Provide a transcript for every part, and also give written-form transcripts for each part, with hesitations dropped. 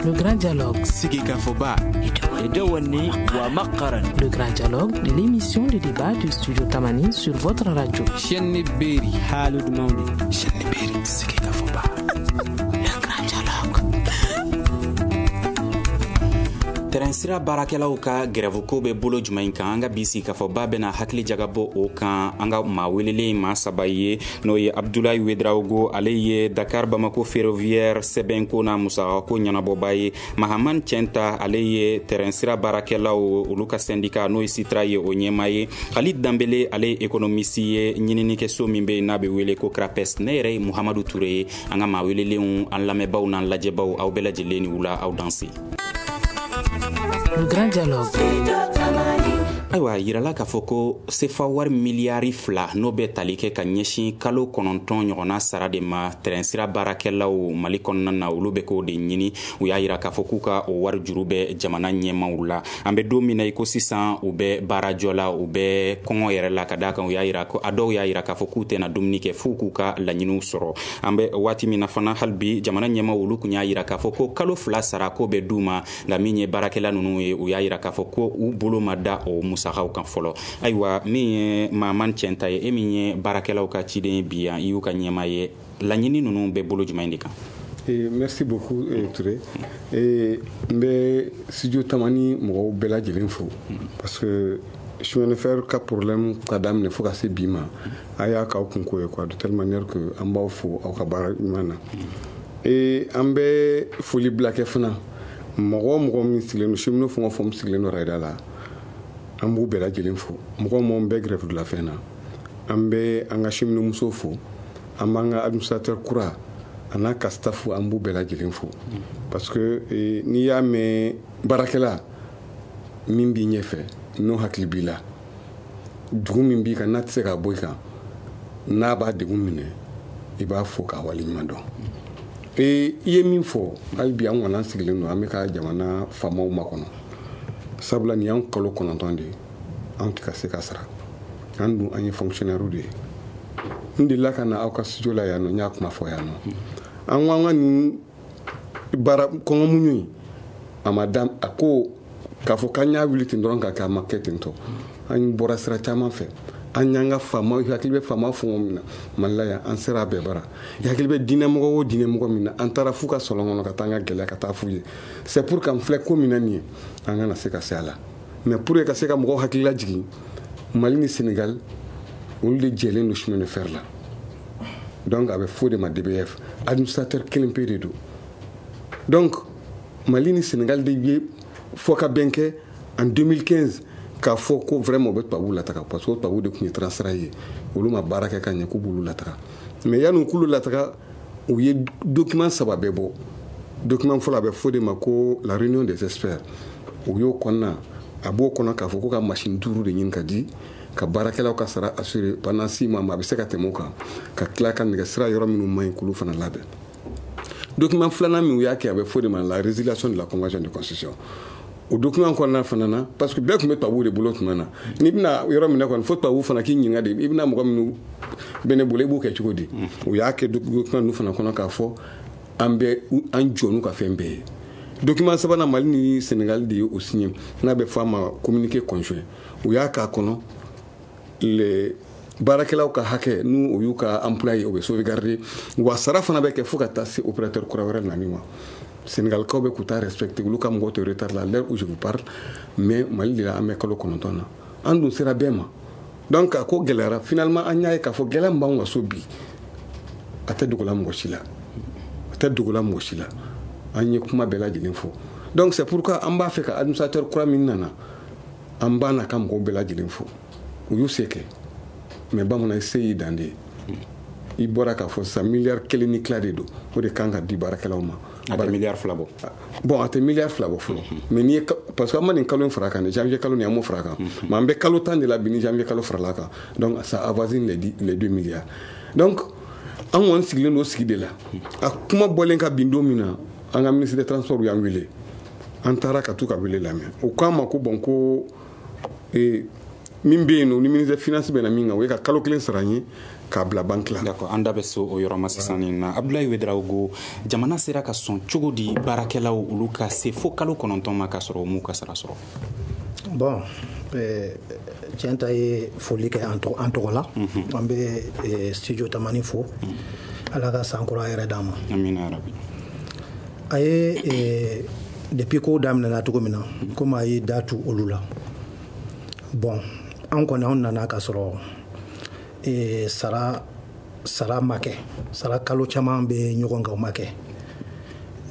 Le Grand Dialogue. Sigikafɔba. Le Grand Dialogue, l'émission de débat du studio Tamani sur votre radio. Chaîne Berry. Chaîne Berry. Sigikafɔba. Le Grand Dialogue. Tɛrɛnsira baarakɛlaw ka gɛrɛfuko bɛ bolo jumɛn kan? An ka bi sigikafɔba bɛna hakili jagabɔ o kan. An ka maa welelen maa saba ye, n'o ye Abdoulaye Ouedraogo, ale ye Dakar Bamako ferroviaire sɛbɛnko n'a musakako ɲɛnabɔba ye. Mahamane Tienta, ale ye tɛrɛnsira baarakɛlaw olu ka syndicat n'o ye Sitra ye, o ɲɛmaa ye. Khalid Dembele, ale ye économiste ye, ɲininikɛso min bɛ yen n'a bɛ wele ko CRAPES. Ne yɛrɛ ye Muhamadu Ture ye. An ka maa welelenw, an lamɛnbaw n'an lajɛbaw, aw bɛɛ lajɛlen ni wula, aw danse. Le Grand Dialogue. Ayiwa, yirala k'a fɔ ko sefa wari miliyari 2, n'o bɛ tali kɛ ka ɲɛsin kalo 9 ɲɔgɔnna sara de ma tɛrɛnsira baarakɛlaw Mali kɔnɔna na, olu bɛ k'o de ɲini. U y'a yira k'a fɔ k'u ka o wari juru bɛ jamana ɲɛmaw la. An bɛ don min na i ko sisan, u bɛ baarajɔ la, u bɛ kɔngɔ yɛrɛ la, ka d'a kan u y'a yira ko a dɔw y'a yira k'a fɔ k'u tɛna dumuni kɛ f'u k'u ka laɲiniw sɔrɔ. An bɛ waati min na fana, hali bi jamana ɲɛmaw olu kun y'a yira k'a fɔ ko kalo 2 sara ko bɛ d'u ma, nka min ye baarakɛla ninnu ye, u y'a yira k'a fɔ ko u bolo ma da o musakaw kan fɔlɔ. Ayiwa, min ye Mahamane Tienta ye, e min ye baarakɛlaw ka ciden bi yan, i y'u ka ɲɛmaa ye, laɲini ninnu bɛ bolo jumɛn de kan? Merci beaucoup, Touré. N bɛ studio Tamani mɔgɔw bɛɛ lajɛlen fo, parce que chemin de fer ka problème ka daminɛ fo ka se bi ma, a y'a k'aw kunko ye quoi, de telle manière que an b'aw fo aw ka baara ɲuman na. Et an bɛ foli bila kɛ fana mɔgɔ o mɔgɔ min sigilen don, cheminot fɛn o fɛn sigilen don rail da la, an b'u bɛɛ lajɛlen fo. Mɔgɔ mɔgɔ bɛ grève de la faim na, an bɛ an ka cheminot musow fo, an b'an ka administrateur kura a n'a ka staff, an b'u bɛɛ lajɛlen fo, parce que n'i y'a mɛn baarakɛla min b'i ɲɛfɛ, n'o hakili b'i la, dugu min b'i kan n'a tɛ se ka bɔ i kan, n'a b'a degun minɛ, i b'a fo k'a waleɲuman dɔn. I ye min fɔ, hali bi an kɔni an sigilen don, an bɛ ka jamana faamaw makɔnɔ, sabula nin y'an kalo 9 de ye, an tɛ ka se ka sara. An dun, an ye fonctionnaire de ye. N delila ka na aw ka studio la yan nɔ, n y'a kuma fɔ yan nɔ. An ko an ka nin baara kɔngɔ muɲu in, a ma da a ko k'a fɔ k'an y'a wuli ten dɔrɔn ka kɛ, a ma kɛ ten tɔ. An bɔra sira caman fɛ, an y'an ka faama, hakili bɛ faama fɛn o min na Mali la yan, an sera a bɛɛ bara. I hakili bɛ diinɛmɔgɔ o diinɛmɔgɔ min na, an taara f'u ka salon kɔnɔ ka taa an ka gɛlɛya ka taa f'u ye. C'est pour qu'an filɛ ko min na nin ye, an kana se ka se a la, mais pour que ka se ka mɔgɔw hakili lajigin, Mali ni Sénégal, olu de jɛlen don chemin de fer la. Donc a bɛ f'o de ma DBF, administrateur kelen pe de don. Donc Mali ni Sénégal de ye fɔ ka bɛn kɛ en 2015 k'a fɔ ko vraiment u bɛ tubabuw lataga, parce que o tubabuw de tun ye transfert ye, olu ma baara kɛ ka ɲɛ, k'u b'olu lataga. Mais yanni k'olu lataga, u ye document saba bɛɛ bɔ. Document fɔlɔ, a bɛ fɔ de ma ko la réunion des experts. U y'o kɔnɔna, a b'o kɔnɔ k'a fɔ ko ka machine duuru de ɲini ka di ka baarakɛlaw ka sara assurer pendant 6 mois, mais a bɛ se ka tɛmɛ o kan, ka tila ka nɛgɛsira yɔrɔ minnu man ɲi, k'olu fana labɛn. Document filanan min u y'a kɛ, a bɛ fɔ de ma la résiliation de la convention de concession. O document kɔnɔna fana na, parce que bɛɛ tun bɛ tubabuw de bolo tuma na, n'i bɛna yɔrɔ minɛ kɔni, fo tubabuw fana k'i ɲininka de, i bɛna mɔgɔ minnu bɛ ne bolo, i b'o kɛ cogo di? U y'a kɛ document ninnu fana kɔnɔ k'a fɔ an bɛ an jɔ n'u ka fɛn bɛɛ ye. Document sabanan, Mali ni Sénégal de ye o signé, n'a bɛ fɔ a ma communiqué conjoint. U y'a k'a kɔnɔ, les baarakɛlaw ka hakɛ, n'u o y'u ka emploi ye, o bɛ sauvegarder, wa sara fana bɛ kɛ fo ka taa se opérateur kura wɛrɛ nani ma. Sénégalikaw bɛ k'u ta respecter, olu ka mɔgɔw tɛ retard la à l'heure où je vous parle, mais Mali de la, an bɛ kalo 9 na, an dun sera bɛɛ ma. Donc a ko gɛlɛyara. Finalement, an y'a ye k'a fɔ gɛlɛya min b'anw ka so bi, a tɛ dogola mɔgɔ si la, a tɛ dogola mɔgɔ si la. An ye kuma bɛɛ lajɛlen fɔ. Donc c'est pourquoi an b'a fɛ ka administrateur kura min nana, an b'a n'a ka mɔgɔw bɛɛ lajɛlen fo. U y'u se kɛ, mais bamanan se y'i dan de ye. I bɔra k'a fɔ sisan, miliyari 1 ni tila de don, o de kan ka di baarakɛlaw ma. A tɛ miliyari 2 bɔ. Bon, a tɛ miliyari 2 bɔ fɔlɔ, mais n'i ye, parce que an ma nin kalo in fara kan dɛ, janvier kalo nin, an m'o fara kan, mais an bɛ kalo 10 de la bi ni janvier kalo farala kan, donc ça avoisine les 2 milliards. Donc an kɔni sigilen don sigi de la. A kuma bɔlen ka bin don min na, an ka ministre des Transports y'an wele, an taara ka t'u ka wele lamɛn. O k'an ma ko bon, ko min bɛ yen nɔ, ni ministre des Finances bɛ na min kan, o ye ka kalo 1 sara n ye. k'a bila banque la. D'accord, an da bɛ so o yɔrɔ ma sisan nin na. Abdoulaye Ouédraogo, jamana sera ka sɔn cogo di baarakɛlaw olu ka se fo kalo 9 ma k'a sɔrɔ u m'u ka sara sɔrɔ? Bon, tiɲɛ ta ye foli kɛ an tɔgɔ la. An bɛ Studio Tamani fo. Ala ka san kura yɛrɛ d'an ma. Amina yarabi. A ye depuis ko daminɛna cogo min na, komi a ye da tu olu la. Bon, an kɔni anw nana k'a sɔrɔ sara ma kɛ, sara kalo caman bɛ ɲɔgɔn kan, o ma kɛ.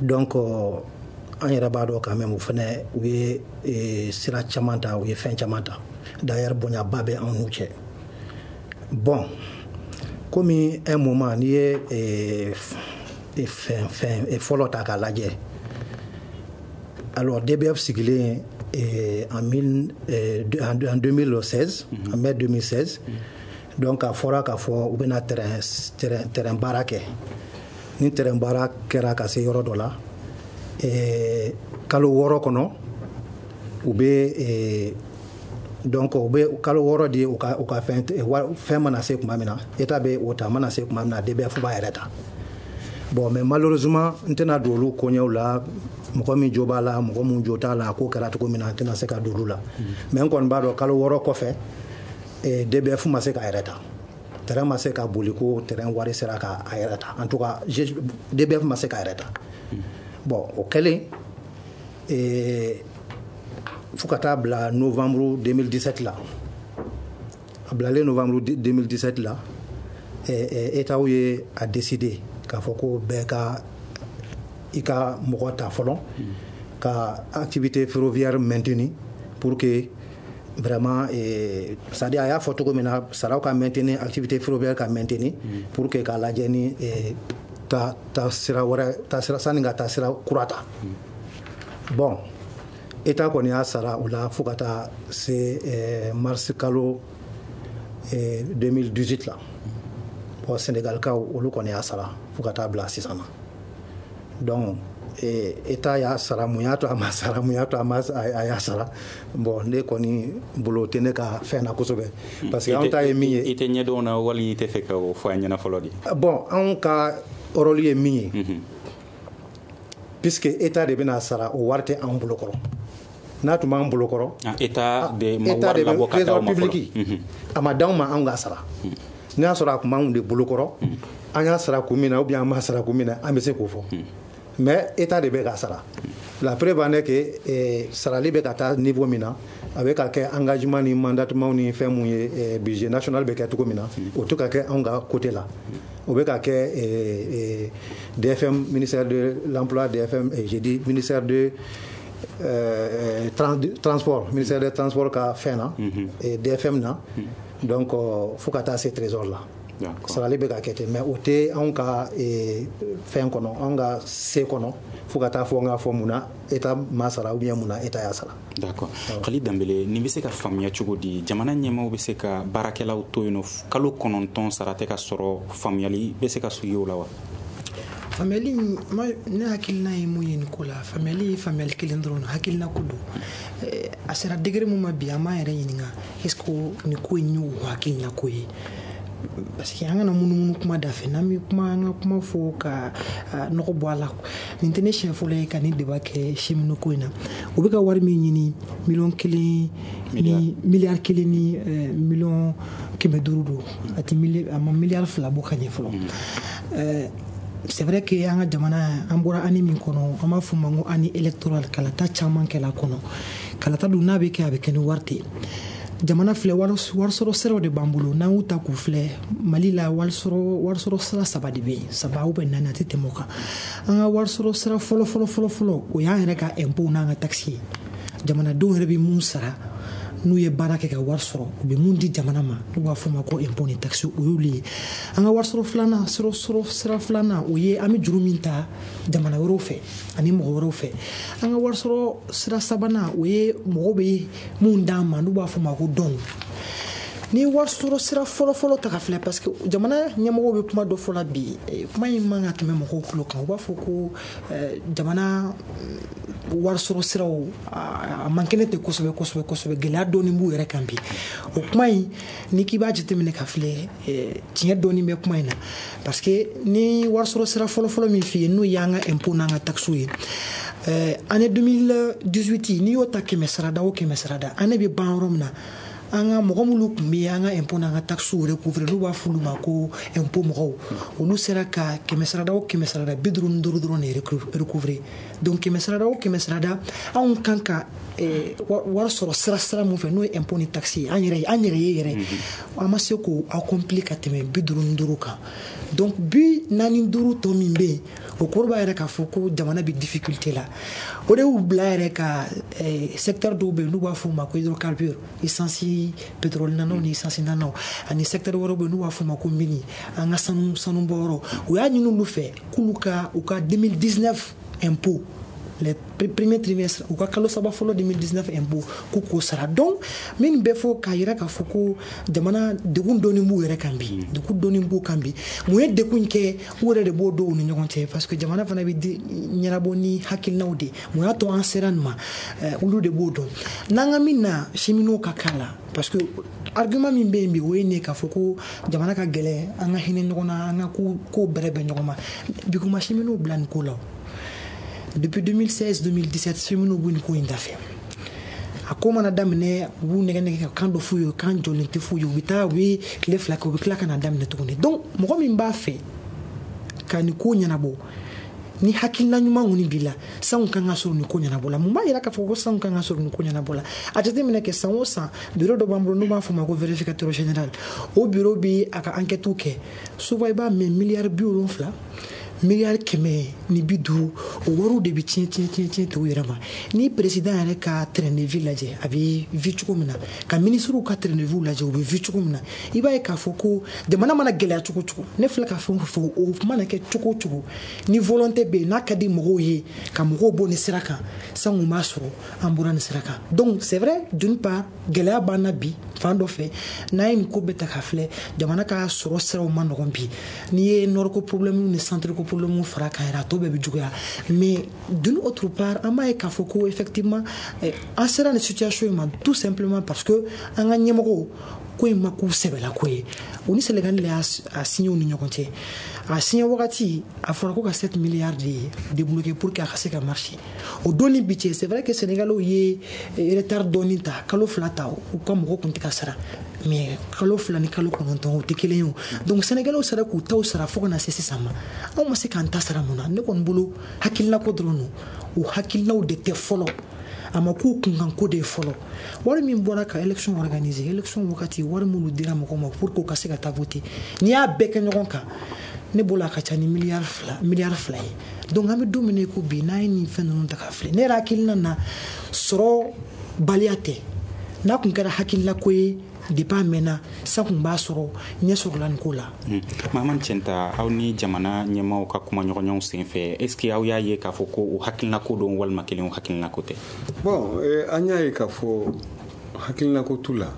Donc an yɛrɛ b'a dɔn quand même u fɛnɛ u ye sira caman ta, u ye fɛn caman ta. D'ailleurs bonyaba bɛ an n'u cɛ. Bon, komi un moment n'i ye fɛn fɔlɔ ta k'a lajɛ, alors DBF sigilen en 2016, en mai 2016, donc a fɔra k'a fɔ u bɛna terrain baara kɛ. Ni terrain baara kɛra ka se yɔrɔ dɔ la, kalo 6 kɔnɔ u bɛ donc u bɛ kalo 6 di u ka fɛn mana se tuma min na, État bɛ o ta, mana se tuma min na DBF b'a yɛrɛ ta. Bon, mais malheureusement n tɛna don olu koɲɛw la, mɔgɔ min jo b'a la, mɔgɔ min jo t'a la, a ko kɛra cogo min na, n tɛna se ka don olu la. Mais n kɔni b'a dɔn kalo 6 kɔfɛ DBF ma se k'a yɛrɛ ta, terrain ma se ka boli ko terrain wari sera k'a yɛrɛ ta. En tout cas DBF ma se k'a yɛrɛ ta. Bon, o kɛlen fo ka taa bila novembre 2017 la, a bilalen novembre 2017 la, État ye a décidé k'a fɔ ko bɛɛ ka i ka mɔgɔ ta fɔlɔ ka activité ferroviaire maintenue pour que vraiment, c'est-à-dire a y'a fɔ cogo min na, saraw ka maintenir, activité ferroviaire ka maintenir pour que k'a lajɛ ni ta sira wɛrɛ, ta sira sanni ka taa sira kura ta. Bon, État kɔni y'a sara o la fo ka taa se mars kalo 2018 la. Bon, Sénégalikaw olu kɔni y'a sara fo ka taa bila sisan na. Donc État y'a sara, mun y'a to a ma sara, mun y'a to a y'a sara, bon ne kɔni bolo tɛ ne ka fɛn na kosɛbɛ, parce que anw ta ye min ye. I tɛ ɲɛdɔn na wali i tɛ fɛ ka o fɔ an ɲɛna fɔlɔ de? Bon, anw ka rôle ye min ye, puisque État de bɛna sara, o wari tɛ anw bolo kɔrɔ. N'a tun b'an bolo kɔrɔ, État de ma wari labɔ ka d'aw ma fɔlɔ, a ma d'anw ma anw ka sara. N'a y'a sɔrɔ a tun b'anw de bolo kɔrɔ, an y'a sara kun min na ou bien an m'a sara kun min na, an bɛ se k'o fɔ. Mais État de bɛ ka sara. La preuve en est que sarali bɛ ka taa niveau min na, a bɛ ka kɛ engagement ni mandatement ni fɛn mun ye, budget national bɛ kɛ cogo min na, o tɛ ka kɛ anw ka côté la. O bɛ ka kɛ DFM, ministère de l'emploi, DFM, j'ai dit ministère de transport, ministère des transports ka fɛn na, DFM na. Donc fo ka taa se trésor la. Sarali bɛ ka kɛ ten, mais o tɛ anw ka fɛn kɔnɔ, anw ka se kɔnɔ fo ka taa fɔ n k'a fɔ mun na État ma sara ou bien mun na État y'a sara. D'accord. Khalid Dembélé, nin bɛ se ka faamuya cogo di? Jamana ɲɛmaaw bɛ se ka baarakɛlaw to yen nɔ kalo 9 sara tɛ ka sɔrɔ, faamuyali bɛ se ka sugi o la wa? Faamuyali, ne hakilina ye mun ye nin ko la, faamuyali ye faamuyali kelen dɔrɔn, hakilina ko don. A sera degré mun ma bi, an b'an yɛrɛ ɲininka est ce que nin ko in y'o hakilina ko ye? Parce que an kana munumunu kuma da fɛ, n'an bɛ kuma an ka kuma fɔ ka nɔgɔ bɔ a la. Nin tɛ ne siɲɛ fɔlɔ ye ka nin débat kɛ cheminot ko in na. U bɛ ka wari min ɲini, miliyɔn 1 ni miliyari 1 ni miliyɔn 500 don, a tɛ a ma miliyari 2 bɔ ka ɲɛ fɔlɔ. C'est vrai que an ka jamana, an bɔra année min kɔnɔ, an b'a fɔ o ma ko année électorale, kalata caman kɛla kɔnɔ. Kalata dun n'a bɛ kɛ, a bɛ kɛ ni wari tɛ. Jamana filɛ, warisɔrɔ siraw de b'an bolo. N'an y'u ta k'u filɛ, Mali la warisɔrɔ sira 3 de bɛ yen, 3 ou bien 4, a tɛ tɛmɛ o kan. An ka warisɔrɔ sira fɔlɔ fɔlɔ fɔlɔ fɔlɔ, o y'an yɛrɛ ka impôt n'an ka taxe ye. Jamanadenw yɛrɛ bɛ mun sara n'u ye baara kɛ ka wari sɔrɔ, u bɛ mun di jamana ma, n'u b'a fɔ o ma ko impôt ni taxe, o y'olu ye. An ka warisɔrɔ filanan, sira filanan, o ye an bɛ juru min ta jamana wɛrɛw fɛ ani mɔgɔ wɛrɛw fɛ. An ka warisɔrɔ sira sabanan, o ye mɔgɔw bɛ mun d'an ma, n'u b'a fɔ o ma ko dɔn. Ni wari sɔrɔ sira fɔlɔ-fɔlɔ ta ka filɛ, parce que jamana ɲɛmɔgɔw bɛ kuma dɔ fɔ la bi, kuma in man ka tɛmɛ mɔgɔw tulo kan. U b'a fɔ ko jamana wari sɔrɔ siraw a man kɛnɛ tɛ kosɛbɛ kosɛbɛ kosɛbɛ, gɛlɛya dɔɔni b'u yɛrɛ kan bi. O kuma in, ni k'i b'a jateminɛ ka filɛ, tiɲɛ dɔɔni bɛ kuma in na, parce que ni wari sɔrɔ sira fɔlɔ-fɔlɔ min f'i ye, n'o y'an ka impôt n'an ka taxes ye, année 2018, n'i y'o ta 100 sarada o 100 sarada, année bɛ ban yɔrɔ min na, an ka mɔgɔ minnu tun bɛ an ka impôt n'an ka taxes recouvrer, n'u b'a fɔ olu ma ko impôt mɔgɔw, olu sera ka 100 sarada o 100 sarada 55 dɔrɔn de recouvrer. Donc 100 sarada o 100 sarada, anw kan ka wari sɔrɔ sira mun fɛ, n'o ye impôt ni taxe ye, an yɛrɛ ye yɛrɛ, an ma se k'o accomplir ka tɛmɛ 55 kan. Donc 45 tɔ min bɛ yen, o kɔrɔ b'a yɛrɛ k'a fɔ ko jamana bɛ difficulté la. O de y'u bila yɛrɛ ka secteur dɔw bɛ yen n'u b'a fɔ o ma ko hydrocarbure, essence pétrole nanaw ni essence nanaw, ani secteur wɛrɛw bɛ yen n'u b'a fɔ o ma ko mini, an ka sanu bɔyɔrɔ. U y'a ɲini olu fɛ k'olu ka u ka 2019 impôt, les premiers trimestres, u ka kalo saba fɔlɔ 2019 impôt, k'u k'o sara. Donc min bɛ fɔ k'a yira k'a fɔ ko jamana degun dɔɔni b'u yɛrɛ kan bi, degun dɔɔni b'u kan bi. Mun ye degun in kɛ? U yɛrɛ de b'o dɔn u ni ɲɔgɔn cɛ, parce que jamana fana bɛ ɲɛnabɔ ni hakilinaw de. Mun y'a to an sera nin ma, olu de b'o dɔn. N'an ka min na, cheminots ka k'a la, parce que argument min bɛ yen bi, o ye nin ye k'a fɔ ko jamana ka gɛlɛn, an ka hinɛ ɲɔgɔn na, an ka ko bɛrɛ bɛn ɲɔgɔn ma. Bi kuma cheminots bila nin ko la. Depuis 2016-2017, cheminots b'u nin ko in dafɛ. A ko mana daminɛ, u b'u nɛgɛ nɛgɛ ka kan dɔ f'u ye, kan jɔlen tɛ f'u ye. U bɛ taa, u bɛ tile 2 kɛ, u bɛ tila ka na daminɛ tuguni. Donc mɔgɔ min b'a fɛ ka nin ko ɲɛnabɔ, ni hakilina ɲuman kɔni b'i la, sanw kan ka sɔrɔ nin ko ɲɛnabɔ la. Mun b'a yira k'a fɔ ko sanw kan ka sɔrɔ nin ko ɲɛnabɔ la? A jateminɛ kɛ, san o san, bureau dɔ b'an bolo n'u b'a fɔ o ma ko vérificateur général. O bureau bɛ a ka enquête kɛ. Souvent i b'a mɛn miliyari 70, miliyari 150, o wariw de bɛ tiɲɛ tiɲɛ tiɲɛ tiɲɛ t'u yɛrɛ ma. Ni président yɛrɛ ka train de vie lajɛ, a bɛ vie cogo min na, ka ministres ka train de vie lajɛ, u bɛ vie cogo min na, i b'a ye k'a fɔ ko jamana mana gɛlɛya cogo cogo, ne filɛ ka fɛn o fɛn fɔ, o mana kɛ cogo o cogo, ni volonté bɛ yen, n'a ka di mɔgɔw ye ka mɔgɔw bɔ nin sira kan, sango b'a sɔrɔ an bɔra nin sira kan. Donc c'est vrai, d'une part gɛlɛya b'an na bi fan dɔ fɛ. N'an ye nin ko bɛɛ ta k'a filɛ, jamana ka sɔrɔ siraw ma nɔgɔn bi. N'i ye nord ko problème ni centre ko problème fara kan yɛrɛ, a tɔ bɛɛ bɛ juguya. Mais d'une autre part, an b'a ye k'a fɔ ko effectivement an sera nin situation in ma tout simplement parce que an ka ɲɛmɔgɔw ko in ma k'u sɛbɛla ko ye. U ni Sénégal de y'a signé u ni ɲɔgɔn cɛ. A signé wagati, a fɔra ko ka 7 milliards de débloquer pour que a ka se ka marcher. O don ni bi cɛ, c'est vrai que Sénégalais ye retard dɔɔni ta, kalo 2 ta, u ka mɔgɔw kun tɛ ka sara. Mais kalo 2 ni kalo 9 o tɛ kelen ye o. Donc Sénégalais sera k'u taw sara fo ka na se sisan ma. Anw ma se k'an ta sara mun na? Ne kɔni bolo, hakilina ko dɔrɔn don. O hakilinaw de tɛ fɔlɔ. A ma k'u kunkanko de ye fɔlɔ. Wari min bɔra ka élection organiser, élection wagati wari minnu dira mɔgɔw ma pour que u ka se ka taa voter, n'i y'a bɛɛ kɛ ɲɔgɔn kan, ne bolo a ka ca ni miliyari 2 ye. Donc an bɛ don min na i ko bi, n'an ye nin fɛn ninnu ta k'a filɛ, ne yɛrɛ hakilina na, sɔrɔ baliya tɛ. N'a kun kɛra hakilina ko ye depuis a mɛnna, san kun b'a sɔrɔ ɲɛ sɔrɔla nin ko la. Mahamane Tienta, aw ni jamana ɲɛmaaw ka kumaɲɔgɔnyaw senfɛ, est ce que aw y'a ye k'a fɔ ko o hakilina ko don walima kelen o hakilina ko tɛ? Bon, an y'a ye k'a fɔ hakilina ko t'u la,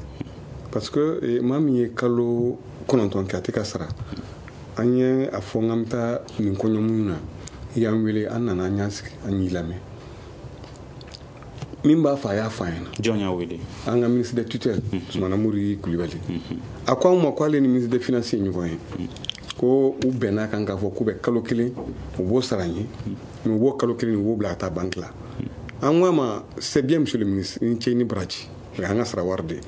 parce que maa min ye kalo 9 kɛ a tɛ ka sara, an ye a fɔ k'an bɛ taa nin kɔɲɔmuɲu na, i y'an wele, an nana, an y'an sigi, an y'i lamɛn. Min b'a fɔ, a y'a fɔ an ɲɛna. Jɔn y'a wele? An ka ministre de tutelle, Sumana Mori Kulibali. A ko an ma k'ale ni ministre des finances ye ɲɔgɔn ye, ko u bɛnna kan k'a fɔ k'u bɛ kalo 1, u b'o sara n ye, mais u b'o kalo 1, u b'o bila ka taa banque la. An ko a ma: c'est bien, monsieur le ministre, i ni ce, i ni baraji, o y'an ka sara wari de ye,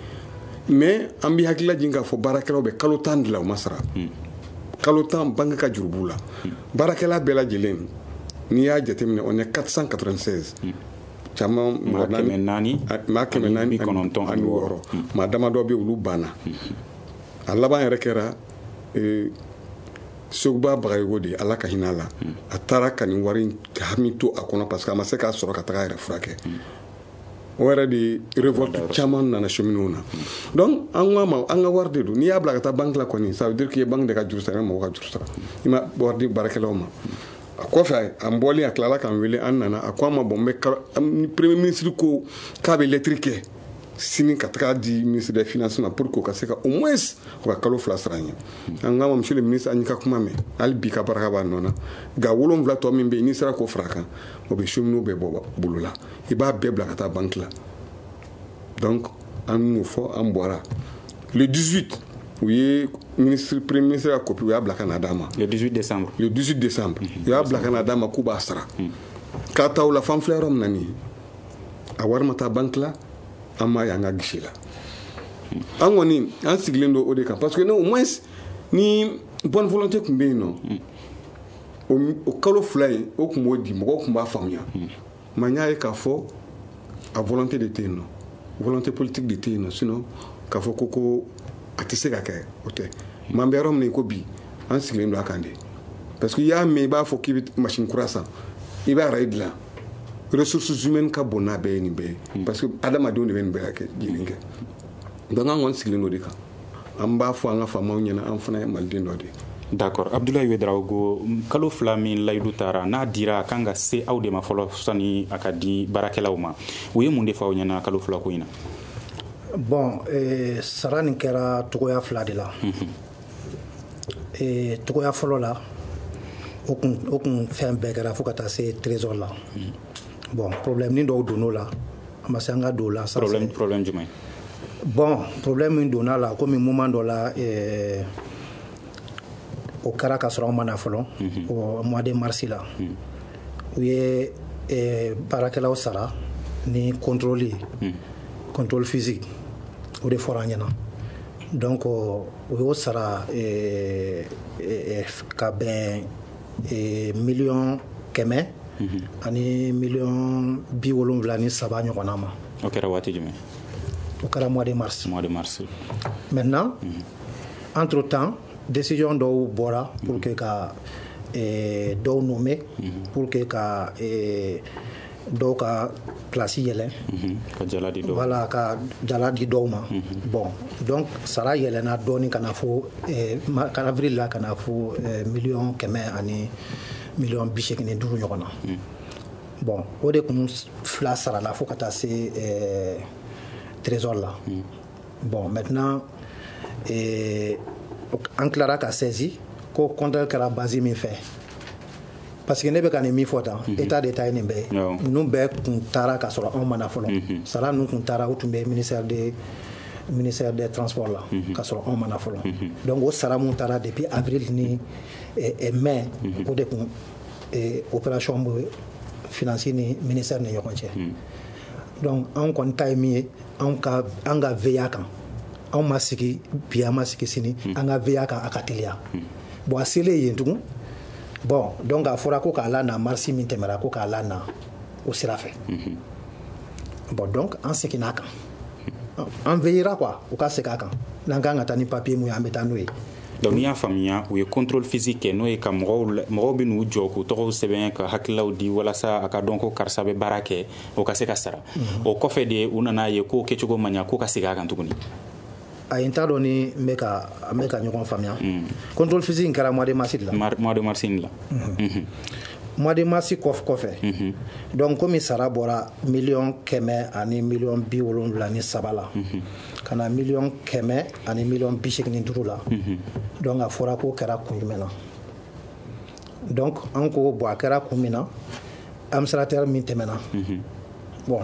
mais an b'i hakili lajigin k'a fɔ baarakɛlaw bɛ kalo 10 de la, u ma sara. Kalo 10, banque ka juru b'u la. Baarakɛla bɛɛ lajɛlen, n'i y'a jateminɛ, on est 496 caman. Maa 400. Maa 496. Maa damadɔ bɛ, olu banna. A laban yɛrɛ kɛra Seguba Bagayogo de ye, Ala ka hinɛ a la. A taara ka nin wari hami to a kɔnɔ, parce que a ma se k'a sɔrɔ ka taga a yɛrɛ furakɛ. O yɛrɛ de révolte caman nana cheminots na. Donc an ko a ma, an ka wari de don, n'i y'a bila ka taa banque la kɔni, ça veut dire k'i ye banque de ka juru sara, i ma mɔgɔ ka juru sara, i ma wari di baarakɛlaw ma. A kɔfɛ, an bɔlen, a tilala k'an wele, an nana, a ko an ma: bon, n bɛ premier ministre ko k'a bɛ lettre kɛ Sini ka taga di ministre des finances ma pour k'o ka se ka au moins o ka kalo 2 sara an ye. An k'a ma, monsieur le ministre, an y'i ka kuma mɛn, hali bi ka baraka b'a nɔ na. Nka 7 tɔ min bɛ yen, n'i sera k'o fara a kan, o bɛ cheminots bɛɛ bɔ bolo la, i b'a bɛɛ bila ka taa banque la. Donc an y'o fɔ, an bɔra le 18, u ye ministre, premier ministre ka copie, u y'a bila ka na d'a ma. Le 18 décembre. Le 18 décembre, u y'a bila ka na d'a ma k'u b'a sara. K'a ta o la, fan filɛ yɔrɔ min na nin ye, a wari ma taa banque la, an m'a ye an ka guichet la. An kɔni an sigilen don o de kan, parce que au moins ni bonne volonté tun bɛ yen nɔ, o kalo 2 in, o tun b'o di, mɔgɔw tun b'a faamuya. Mais n y'a ye k'a fɔ a volonté de tɛ yen nɔ, volonté politique de tɛ yen nɔ. Sinon k'a fɔ ko a tɛ se ka kɛ, o tɛ. Mais an bɛ yɔrɔ min na i ko bi, an sigilen don a kan de, parce que i y'a mɛn, i b'a fɔ k'i bɛ machine kura san, i b'a rail dilan, ressources humaines ka bon n'a bɛɛ ye nin bɛɛ ye, parce que adamadenw de bɛ nin bɛɛ kɛ jɛlen kɛ. Donc an kɔni sigilen don o de kan. An b'a fɔ an ka faamaw ɲɛna, an fana ye maliden dɔ de ye. D'accord. Abdoulaye Ouedraogo, kalo 2 min layidu taara n'a dira, a kan ka se aw de ma fɔlɔ sani a ka di baarakɛlaw ma. U ye mun de fɔ aw ɲɛna kalo 2 ko in na? Bon, sara nin kɛra togoya 2 de la. Togoya fɔlɔ la, o kun fɛn bɛɛ kɛra fo ka taa se trésor la. Bon, problème ni dɔw donn'o la, a ma se an ka don o la. Problème jumɛn? Bon, problème min donna la, komi moment dɔ la, o kɛra ka sɔrɔ an ma na fɔlɔ, o mois de mars la. U ye baarakɛlaw sara ni contrôle ye, contrôle physique, o de fɔra an ɲɛna. Donc u y'o sara ka bɛn 100 millions ani 73 millions ɲɔgɔnna ma. O kɛra waati jumɛn? O kɛra mois de mars. Mois de mars. Maintenant, entre temps, décision dɔw bɔra pour que ka dɔw nommer, pour que ka dɔw ka place yɛlɛn. Ka jala di dɔw. Voilà, ka jala di dɔw ma. Bon, donc sara yɛlɛnna dɔɔni ka na fo avril la, ka na fo 185 millions ɲɔgɔn na. Bon, o de kun fila sarala fo ka taa se trésor la. Bon, maintenant, an tilara ka saisi ko compteur kɛra base min fɛ, parce que ne bɛ ka nin min fɔ tan, état de ta ye nin bɛɛ ye. Ninnu bɛɛ kun taara ka sɔrɔ anw ma na fɔlɔ. Sara ninnu kun taara, u tun bɛ ministère des transports la ka sɔrɔ anw ma na fɔlɔ. Donc o sara mun taara depuis avril ni mai, o de kun opération bɛ finance ni ministère ni ɲɔgɔn cɛ. Donc anw kɔni ta ye min ye, anw ka an ka veiller a kan. Anw ma sigi bi, an ma sigi sini, an ka veiller a kan a ka teliya. Bon, a selen yen tugun, bon, donc a fɔra ko k'a la na mars min tɛmɛra, ko k'a la na o sira fɛ. Bon, donc an seginna a kan, an veillera quoi, u ka segin a kan. N'an kan ka taa ni papier mun ye, an bɛ taa n'o ye. Donc n'i y'a faamuya, u ye contrôle physique kɛ, n'o ye ka mɔgɔw bɛ n'u jɔ k'u tɔgɔw sɛbɛn, ka hakililaw di walasa a ka dɔn ko karisa bɛ baara kɛ, o ka se ka sara. O kɔfɛ de, u nana ye k'o kɛcogo man ɲa, k'o ka segin a kan tuguni. Ayi, n t'a dɔn ni n bɛ ka an bɛ ka ɲɔgɔn faamuya. Contrôle physique in kɛra mois de mars de la. Mois de mars in la. Mois de mars kɔfɛ, donc komi sara bɔra 173 millions la ka na 185 millions la, donc a fɔra k'o kɛra kun jumɛn na? Donc an ko bon, a kɛra kun min na, administrateur min tɛmɛna, bon,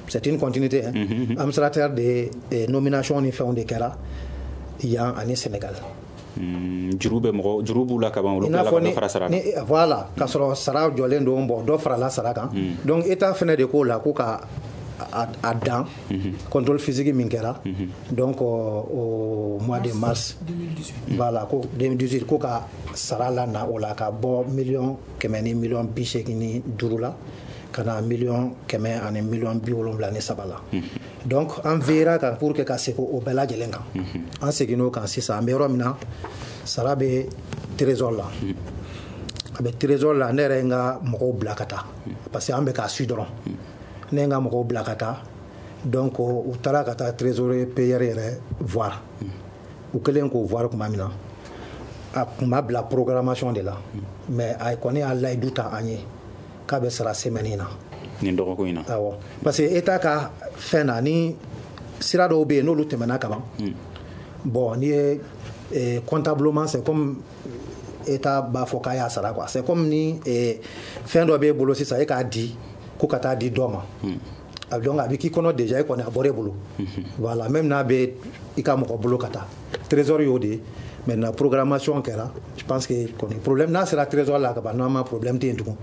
c'est une continuité, hein. Administrateur de nomination ni fɛnw de kɛra yan ani Sénégal. Juru bɛ mɔgɔ, juru b'u la ka ban, olu tilala ka dɔ fara sara kan. Voilà, k'a sɔrɔ sara jɔlen don. Bon, dɔ farala sara kan. Donc état fɛnɛ de k'o la ko ka a dan contrôle physique min kɛra, donc au mois de mars 2018. Voilà, ko 2018, ko ka sara la na o la, ka bɔ 185 millions la ka na 173 millions la. Donc an veillera kan pour que ka segin o bɛɛ lajɛlen kan. An seginn'o kan sisan, an bɛ yɔrɔ min na, sara bɛ trésor la, a bɛ trésor la. Ne yɛrɛ ye n ka mɔgɔw bila ka taa, parce que an bɛ k'a su dɔrɔn. Ne ye n ka mɔgɔw bila ka taa, donc u taara ka taa trésorier payeur yɛrɛ voir. U kɛlen k'o voir tuma min na, a tun ma bila programmation de la, mais a kɔni y'a layidu ta an ye k'a bɛ sara semaine in na. Nin dɔgɔkun in na. Awɔ, parce que état ka fɛn na ni Sira dɔw bɛ yen n'olu tɛmɛna ka ban. Bon, n'i ye comptablement, c'est comme État b'a fɔ k'a y'a sara quoi. C'est comme ni fɛn dɔ b'e bolo sisan, e k'a di ko ka taa di dɔ ma. Donc a bɛ k'i kɔnɔ déjà e kɔni a bɔra e bolo. Voilà, même n'a bɛ i ka mɔgɔ bolo ka taa. Trésor y'o de ye. Maintenant, programmation kɛra, je pense que kɔni problème n'a sera trésor la ka ban, normalement problème tɛ yen tugun.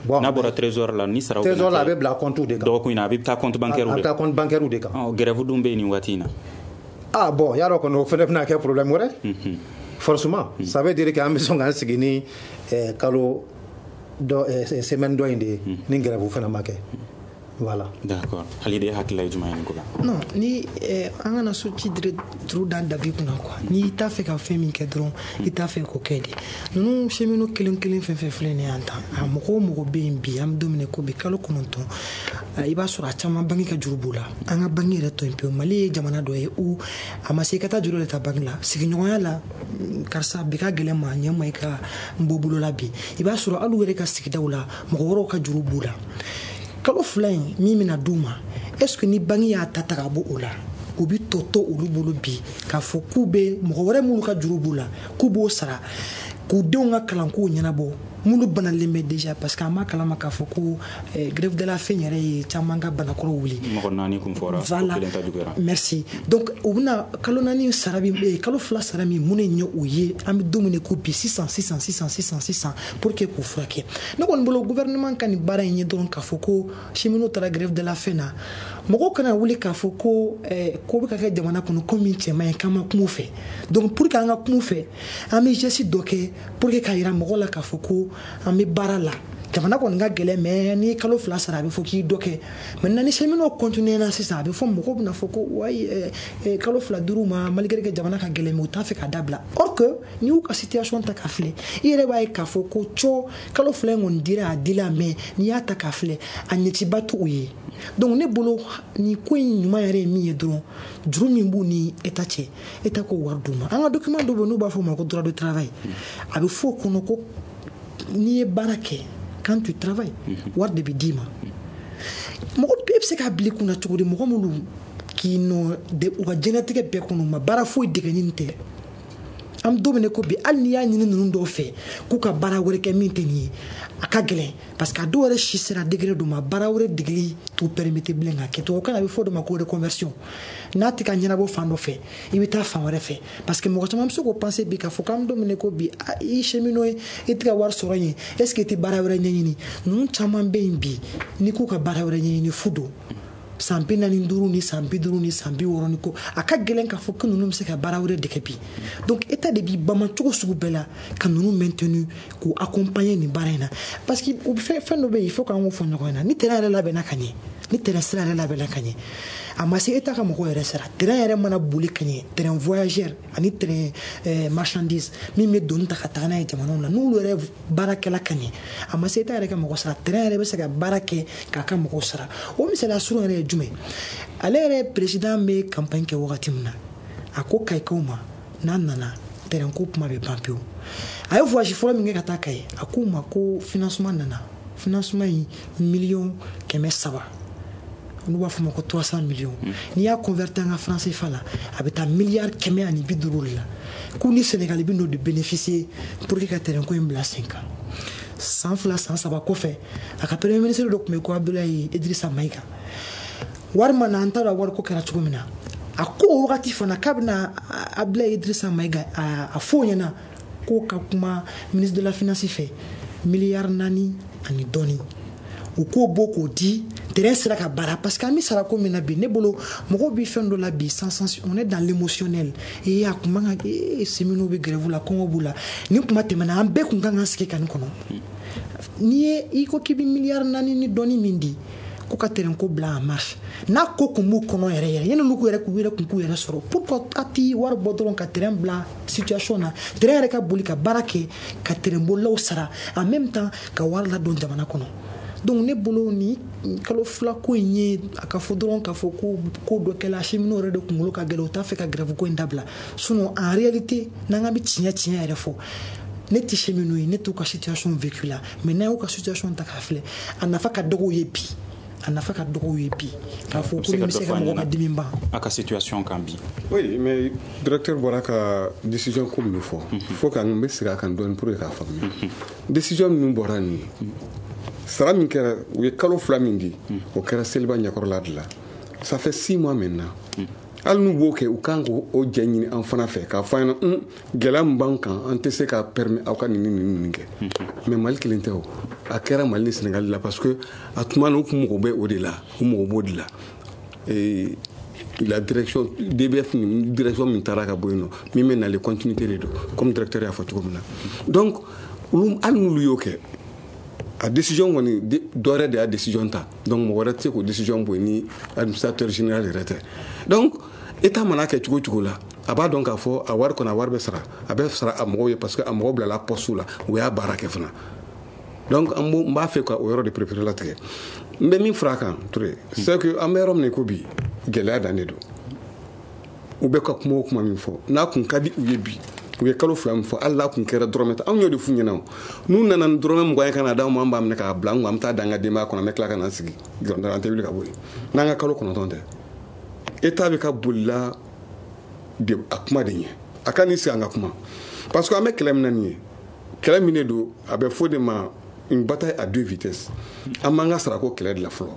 Bon, n'a bɔra trésor la, ni saraw trésor la, a bɛ bila compte de kan. Dɔgɔkun in na, a bɛ taa compte bancaire de. A bɛ taa compte bancaire de kan. Grève dun bɛ yen nin waati in na. Ah bon, yarɔ kɔni o fana bɛna kɛ problème wɛrɛ. Forcément, ça veut dire que an bɛ sɔn k'an sigi ni kalo dɔ semaine dɔ in de ye ni grève fana ma kɛ. Voilà. D'accord. Halide, hakilila ye jumɛn ye nin ko la? Non, ni an kana so ci turu da dabi kunna quoi. N'i t'a fɛ ka fɛn min kɛ dɔrɔn, i t'a fɛ k'o kɛ de. Ninnu cheminots kelen kelen fɛn fɛn filɛ nin ye an tan, a mɔgɔ o mɔgɔ bɛ yen bi, an bɛ don min na ko bi, kalo 9, i b'a sɔrɔ a caman banque ka juru b'u la. An ka banque yɛrɛ to yen pewu. Mali ye jamana dɔ ye où a ma se i ka taa juru de ta banque la. Sigiɲɔgɔnya la, karisa bi ka gɛlɛn ma ɲɛ ma i ka n bɔ bolo la bi. I b'a sɔrɔ hali u yɛrɛ ka sigidaw la, mɔgɔ wɛrɛw ka juru b'u la. Kalo 2 in min bɛna d'u ma, est ce que ni banque y'a ta ka bɔ o la, u bɛ tɔ to olu bolo bi k'a fɔ k'u bɛ mɔgɔ wɛrɛ minnu ka juru b'u la k'u b'o sara, k'u denw ka kalankow ɲɛnabɔ, minnu banalen bɛ déjà? Parce que an b'a kalama k'a fɔ ko grève de la faim yɛrɛ ye caman ka banakɔrɔw wuli. Mɔgɔ 4 kun fɔra. Voilà. Ko kelen ta juguyara. Merci. Donc u bɛna kalo 4 sara min, kalo 2 sara min, mun de ɲɛ u ye an bɛ don min na ko bi, sisan sisan sisan sisan sisan, pour que k'u furakɛ? Ne kɔni bolo, gouvernement ka nin baara in ye dɔrɔn k'a fɔ ko cheminots taara grève de la faim na, mɔgɔw kana wuli k'a fɔ ko ko bɛ ka kɛ jamana kɔnɔ ko min cɛ man ɲi, k'an ma kuma u fɛ. Donc pour que an ka kuma u fɛ, an bɛ geste dɔ kɛ pour que k'a yira mɔgɔw la k'a fɔ ko an bɛ baara la. Jamana kɔni ka gɛlɛn, mais n'i ye kalo 2 sara, a bɛ fɔ k'i dɔ kɛ. Maintenant, ni cheminots continuer na sisan, a bɛ fɔ mɔgɔw bɛna fɔ ko wayi, kalo 2 dir'u ma malgré que jamana ka gɛlɛn, mais u t'a fɛ k'a dabila. Or que n'i y'u ka situation ta k'a filɛ, i yɛrɛ b'a ye k'a fɔ ko cɔ kalo 2 in kɔni dira, a dila, mais n'i y'a ta k'a filɛ, a ɲɛciba t'u ye. Donc ne bolo, nin ko in ɲuman yɛrɛ ye min ye dɔrɔn, juru min b'u ni État cɛ, État k'o wari d'u ma. An ka document dɔ bɛ yen n'u b'a fɔ o ma ko droit de travail. A bɛ fɔ o kɔnɔ ko n'i ye baara kɛ, quand tu travailles, wari de bɛ d'i ma. Mɔgɔ bɛɛ bɛ se k'a bila i kunna cogo di, mɔgɔ minnu k'i nɔ u ka diɲɛlatigɛ bɛɛ kɔnɔ, u ma baara foyi dege ni nin tɛ? An bɛ don min na ko bi, hali n'i y'a ɲini ninnu dɔw fɛ k'u ka baara wɛrɛ kɛ min tɛ nin ye, a ka gɛlɛn, parce que a dɔw yɛrɛ si sera degré dɔ ma, baara wɛrɛ degeli t'u permettre bilen ka kɛ. Tubabukan na, a bɛ fɔ o de ma ko reconversion. N'a tɛ ka ɲɛnabɔ fan dɔ fɛ, i bɛ taa fan wɛrɛ fɛ, parce que mɔgɔ caman bɛ se k'o penser bi k'a fɔ k'an bɛ don min na ko bi, i cheminot ye, i tɛ ka wari sɔrɔ yen, est ce que i tɛ baara wɛrɛ ɲɛɲini? Ninnu caman bɛ yen bi, n'i k'u ka baara wɛrɛ ɲɛɲini, fu don. San 45 ni san 50 ni san 60 ni ko, a ka gɛlɛn k'a fɔ ko ninnu bɛ se ka baara wɛrɛ dege bi. Donc État de b'i bama cogo sugu bɛɛ la ka ninnu maintenu, k'u accompagner nin baara in na, parce que u fɛn fɛn dɔ bɛ yen, il faut k'an k'o fɔ ɲɔgɔn ɲɛna. Ni terrain yɛrɛ labɛnna ka ɲɛ, ni terrain sira yɛrɛ labɛnna ka ɲɛ, a ma se État ka mɔgɔw yɛrɛ sara. Terrain yɛrɛ mana boli ka ɲɛ, terrain voyageur ani terrain marchandise min bɛ doni ta ka taga n'a ye jamanaw la, n'olu yɛrɛ baara kɛla ka ɲɛ, a ma se État yɛrɛ ka mɔgɔ sara, terrain yɛrɛ bɛ se ka baara kɛ k'a ka mɔgɔw sara. O misaliya surun yɛrɛ ye jumɛn? Ale yɛrɛ président bɛ campagne kɛ wagati min na, a ko Kayikaw ma n'a nana, terrain ko kuma bɛ ban pewu. A ye voyage fɔlɔ min kɛ ka taa Kayi, a k'u ma ko financement nana, financement in 300 millions, n'u b'a fɔ ma ko 300 millions. N'i y'a converti an ka franc CFA la, a bɛ taa miliyari 150 de la, k'u ni Sénégal bɛ n'o de bénéficier pour que ka terrain ko in bila sen kan. San 2, san 3 kɔfɛ, a ka premier ministre dɔ tun bɛ ko Abdoulaye Idrissa Maïga, wari ma na, an t'a dɔn wariko kɛra cogo min na. A ko o wagati fana k'a bɛna Abdoulaye Idrissa Maïga a fɔ o ɲɛna k'o ka kuma ministre de la finance fɛ, miliyari 4 ani dɔɔni, u k'o bɔ k'o di, terrain sera ka baara. Parce que an bɛ sara ko min na bi, ne bolo, mɔgɔw bɛ fɛn dɔ la bi sans sens, on est dans l'émotionnel. Ee, a kun man ka ee, cheminots bɛ grève la, kɔngɔ b'u la. Nin kuma tɛmɛna, an bɛɛ kun kan ka sigi ka nin kɔnɔ. N'i ye i ko k'i bɛ miliyari 4 ni dɔɔni min di ko ka terrain ko bila en marche, n'a ko kun b'u kɔnɔ yɛrɛ yɛrɛ, yanni olu yɛrɛ k'u yɛrɛ kun k'u yɛrɛ sɔrɔ, pourquoi a ti wari bɔ dɔrɔn ka terrain bila situation na, terrain yɛrɛ ka boli ka baara kɛ, ka terrain bolilaw sara, en même temps ka wari ladon jamana kɔnɔ? Donc ne bolo, ni kalo 2 ko in ye a ka fɔ dɔrɔn k'a fɔ ko ko dɔ kɛla, cheminots yɛrɛ de kunkolo ka gɛlɛn, u t'a fɛ ka grève ko in dabila. Sinon en réalité, n'an ka bɛ tiɲɛ tiɲɛ yɛrɛ fɔ, ne tɛ cheminot ye, ne t'u ka situation vécu la, mais n'an y'u ka situation ta k'a filɛ, a nafa ka dɔgɔ u ye bi. A nafa ka dɔgɔ ye bi k'a fɔ ko nin bɛ se ka mɔgɔ ka dimi ban. A ka situation kan bi. Oui, mais directeur bɔra ka décision ko min fɔ, faut que n bɛ segin a kan dɔɔni pour que k'a faamuya. Décision minnu bɔra nin ye, sara min kɛra, u ye kalo 2 min di, o kɛra seliba ɲɛkɔrɔla de la. Ça fait 6 mois maintenant. Hali n'u b'o kɛ, u kan k'o jɛ ɲini an fana fɛ k'a fɔ an ɲɛna gɛlɛya min b'an kan, an tɛ se ka permettre aw ka nin nin nin kɛ. Mais Mali kelen tɛ o, a kɛra Mali ni Sénégal la, parce que a tuma na u kun mago bɛ o de la, u mago b'o de la. Et la direction DBF ni direction min taara ka bɔ yen nɔ, min bɛ nalen, continuité de don, comme directeur y'a fɔ cogo min na. Donc olu, hali n'olu y'o kɛ, a décision kɔni, dɔ wɛrɛ de y'a décision ta, donc mɔgɔ wɛrɛ tɛ se k'o décision bɔ yen ni administrateur général yɛrɛ tɛ. Donc État mana kɛ cogo cogo la, a b'a dɔn k'a fɔ a wari kɔni, a wari bɛ sara, a bɛ sara a mɔgɔw ye, parce que a mɔgɔw bilala poste la, u y'a baara kɛ fana. Donc an b'o, n b'a fɛ ka o yɔrɔ de préférer latigɛ. N bɛ min fara a kan, Touré, c'est que an bɛ yɔrɔ min na i ko bi, gɛlɛya dan de don. U bɛ ka kuma o kuma min fɔ, n'a kun ka di u ye bi, u ye kalo 2 min fɔ, hali n'a kun kɛra dɔrɔmɛ 10, anw y'o de f'u ɲɛna. O n'u nana ni dɔrɔmɛ 20 ye ka na d'anw ma, an b'a minɛ k'a bila an kun, an bɛ taa da an ka denbaya kɔnɔ, an bɛ tila ka na sigi dɔrɔn, an tɛ wuli ka bɔ yen n'an ka kalo 9 tɛ. État bɛ ka bolila de a kuma de ɲɛ, a ka n'i sigi an ka kuma, parce que an bɛ kɛlɛ min na nin ye, kɛlɛ min de don, a bɛ fɔ de ma une bataille à 2 vitesses. An b'an ka sarako kɛlɛ de la fɔlɔ,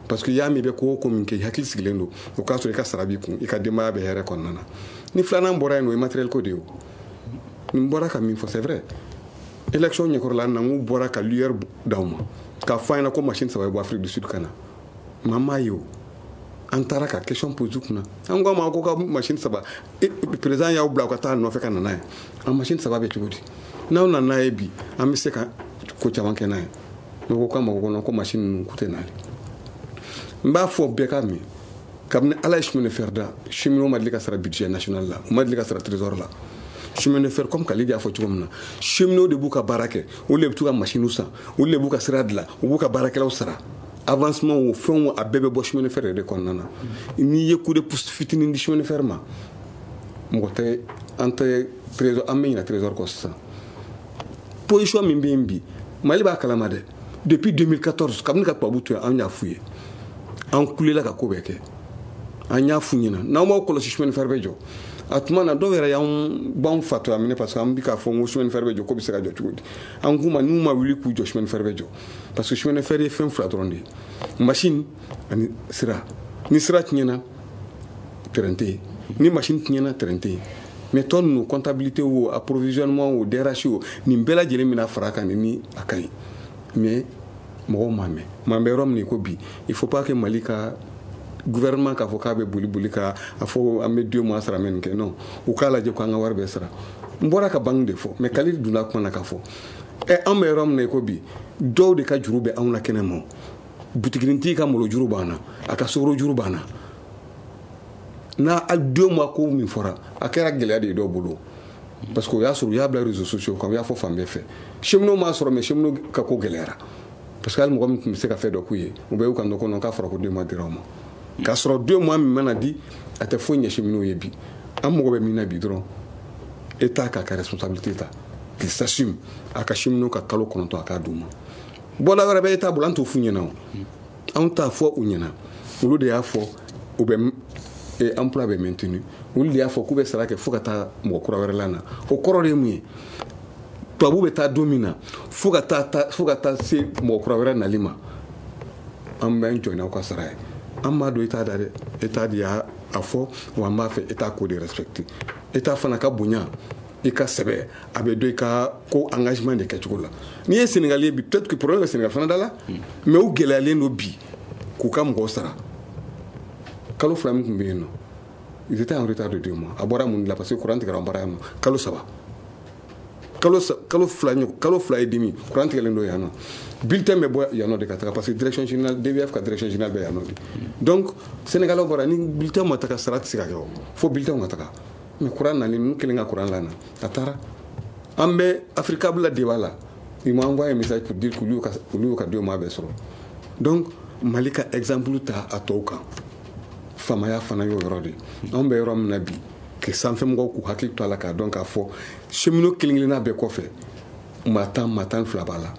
parce que i y'a mɛn, i bɛ ko o ko min kɛ, i hakili sigilen don, o k'a sɔrɔ i ka sara b'i kun, i ka denbaya bɛ hɛrɛ kɔnɔna na. Ni filanan bɔra yen nɔ, o ye matériel ko de ye. O nin bɔra ka min fɔ, c'est vrai, élection ɲɛkɔrɔla na, n bɔra ka lueur d'aw ma k'a fɔ an ɲɛna ko machine 3 bɛ bɔ Afrique du Sud ka na, mais an m'a ye. O an taara ka question pose kunna, an ko a ma ko ka machine 3, président y'aw bila ka taa nɔfɛ ka na n'a ye. An machine 3 bɛ cogo di? N'aw nana n'a ye bi, an bɛ se ka ko caman kɛ n'a ye. Ne ko k'a ma ko non, ko machine ninnu k'u tɛ n'ale. N b'a fɔ bɛɛ ka min, kabini Ala ye chemin de fer da, cheminot ma deli ka sara budget national la, u ma deli ka sara trésor la. Chemin de fer, comme Khalid y'a fɔ cogo min na, cheminot de b'u ka baara kɛ, olu de bɛ t'u ka machine san, olu de b'u ka sira dilan, u b'u ka baarakɛlaw sara. Avancement o, fɛn o, a bɛɛ bɛ bɔ chemin de fer de kɔnɔna na. N'i ye coup de pouce fitinin di chemin de fer ma, mɔgɔ tɛ an tɛ trésor, an bɛ ɲinɛ trésor kɔ sisan. Position min bɛ yen bi, Mali b'a kalama dɛ. Depuis 2014, kabini ka tubabu to yen, an y'a f'u ye, an kulela ka ko bɛɛ kɛ, an y'a f'u ɲɛna n'aw m'aw kɔlɔsi, chemin de fer bɛ jɔ. A tuma na, dɔw yɛrɛ y'an b'anw fatɔya minɛ, parce que an bɛ k'a fɔ n ko chemin de fer bɛ jɔ, ko bɛ se ka jɔ cogo di? An k'u ma n'u ma wuli k'u jɔ, chemin de fer bɛ jɔ, parce que chemin de fer ye fɛn 2 dɔrɔn de ye, machine ani sira. Ni sira tiɲɛna, train tɛ yen. Ni machine tiɲɛna, train tɛ yen. Mais tɔ ninnu, comptabilité o, approvisionnement o, DRH o, nin bɛɛ lajɛlen bɛna fara a kan ni a ka ɲi. Mais mɔgɔw m'a mɛn. Mais an bɛ yɔrɔ min na i ko bi, il faut pas que Mali ka gouvernement k'a fɔ k'a bɛ boli boli ka a fɔ an bɛ 2 mois sara mɛ nin kɛ. Non, u k'a lajɛ k'an ka wari bɛɛ sara. N bɔra ka banque de fɔ, mais Khalid donna kuma na k'a fɔ ɛ, an bɛ yɔrɔ min na i ko bi, dɔw de ka juru bɛ anw na kɛnɛ ma. Butikinitigi ka malo juru b'an na, a ka sukaro juru b'an na. N'a 2 mois ko min fɔra, a kɛra gɛlɛya de ye dɔw bolo, parce que o y'a sɔrɔ u y'a bila réseaux sociaux kan, u y'a fɔ fan bɛɛ fɛ. Cheminot m'a sɔrɔ, mais cheminot ka ko gɛlɛyara, parce que hali mɔgɔ min tun bɛ se ka fɛn dɔ k'u ye, u bɛɛ y'u kan dɔ kɔnɔ k'a fɔra ko 2 mois dira u ma, k'a sɔrɔ 2 mois min mana di, a tɛ foyi ɲɛ cheminot ye bi. An mago bɛ min na bi dɔrɔn, État k'a ka responsabilité ta, qu'il s'assume, a ka cheminot ka kalo 9 a k'a d'u ma. Bɔda wɛrɛ bɛ État bolo, an t'o f'u ɲɛna o, anw t'a fɔ u ɲɛna. Olu de y'a fɔ u bɛ emploi bɛ maintenu, olu de y'a fɔ k'u bɛ sara kɛ fo ka taa mɔgɔ kura wɛrɛ la na. O kɔrɔ de ye mun ye? Tubabu bɛ taa don min na, fo ka taa se mɔgɔ kura wɛrɛ nali ma, an bɛ jɔ n'aw ka sara ye. An b'a dɔn État da dɛ, État de y'a fɔ, wa an b'a fɛ État k'o de respecter. État fana ka bonya, i ka sɛbɛ, a bɛ dɔn i ka ko engagement de kɛcogo la. N'i ye Sénégal ye bi, peut-être que problème bɛ Sénégal fana da la, mais u gɛlɛyalen don bi k'u ka mɔgɔw sara. Kalo 2 min tun bɛ yen nɔ, ils étaient en retard de 2 mois. A bɔra mun de la? Parce que courant tigɛra an baara yan nɔ kalo 3, kalo 2, kalo 2 et demi, courant tigɛlen don yan nɔ. Bulletin bɛ bɔ yan nɔ de ka taga, parce que direction générale DVF ka direction générale bɛ yan nɔ de. Donc Sénégalais bɔra ni bulletin ma taga, sara tɛ se ka kɛ o, fo bulletin ka taga. Mais courant nalen, ninnu kelen ka courant lana, a taara. An bɛ Africable la débat la, ils m'ont envoyé un message pour dire qu'olu y'u ka 2 mois bɛɛ sɔrɔ. Donc Mali ka exemple ta a tɔw kan, faamaya fana y'o yɔrɔ de. Anw bɛ yɔrɔ min na bi, que sanfɛmɔgɔw k'u hakili to a la k'a dɔn k'a fɔ cheminot kelen kelenna bɛɛ kɔfɛ, maa 10, maa 12 b'a la.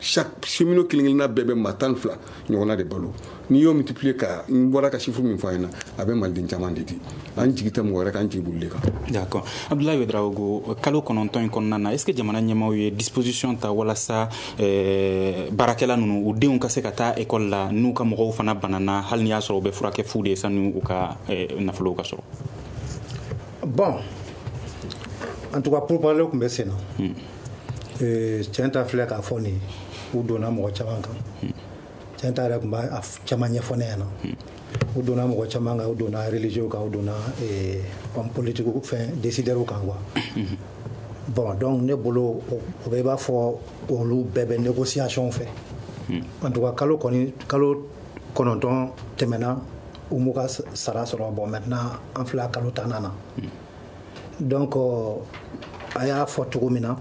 Chaque cheminot kelen kelenna bɛɛ bɛ maa 12 ɲɔgɔnna de balo. N'i y'o multiplier ka n bɔra ka chiffre min fɔ a ɲɛna, a bɛ maliden caman de di. An jigi tɛ mɔgɔ wɛrɛ kan, an jigi b'olu de kan. D'accord. Abdoulaye Ouedraogo, kalo 9 in kɔnɔna na, est ce que jamana ɲɛmaaw ye disposition ta walasa baarakɛla ninnu u denw ka se ka taa école la, n'u ka mɔgɔw fana banana, hali n'i y'a sɔrɔ u bɛ furakɛ fu de ye, sani u ka nafolow ka sɔrɔ? Bon, en tout cas pourparlers tun bɛ sen na. Tiɲɛ ta filɛ k'a fɔ nin, u donna mɔgɔ caman kan. Tiɲɛ ta yɛrɛ tun b'a caman ɲɛfɔ ne ɲɛna. U donna mɔgɔ caman kan, u donna religieux kan, u donna homme politique fɛn décideurs kan quoi. Bon, donc ne bolo o bɛ i b'a fɔ olu bɛɛ bɛ négociation fɛ. En tout cas kalo kɔni, kalo 9 tɛmɛna, u m'u ka sara sɔrɔ. Bon, maintenant an filɛ kalo 10nan na. Donc a y'a fɔ cogo min na,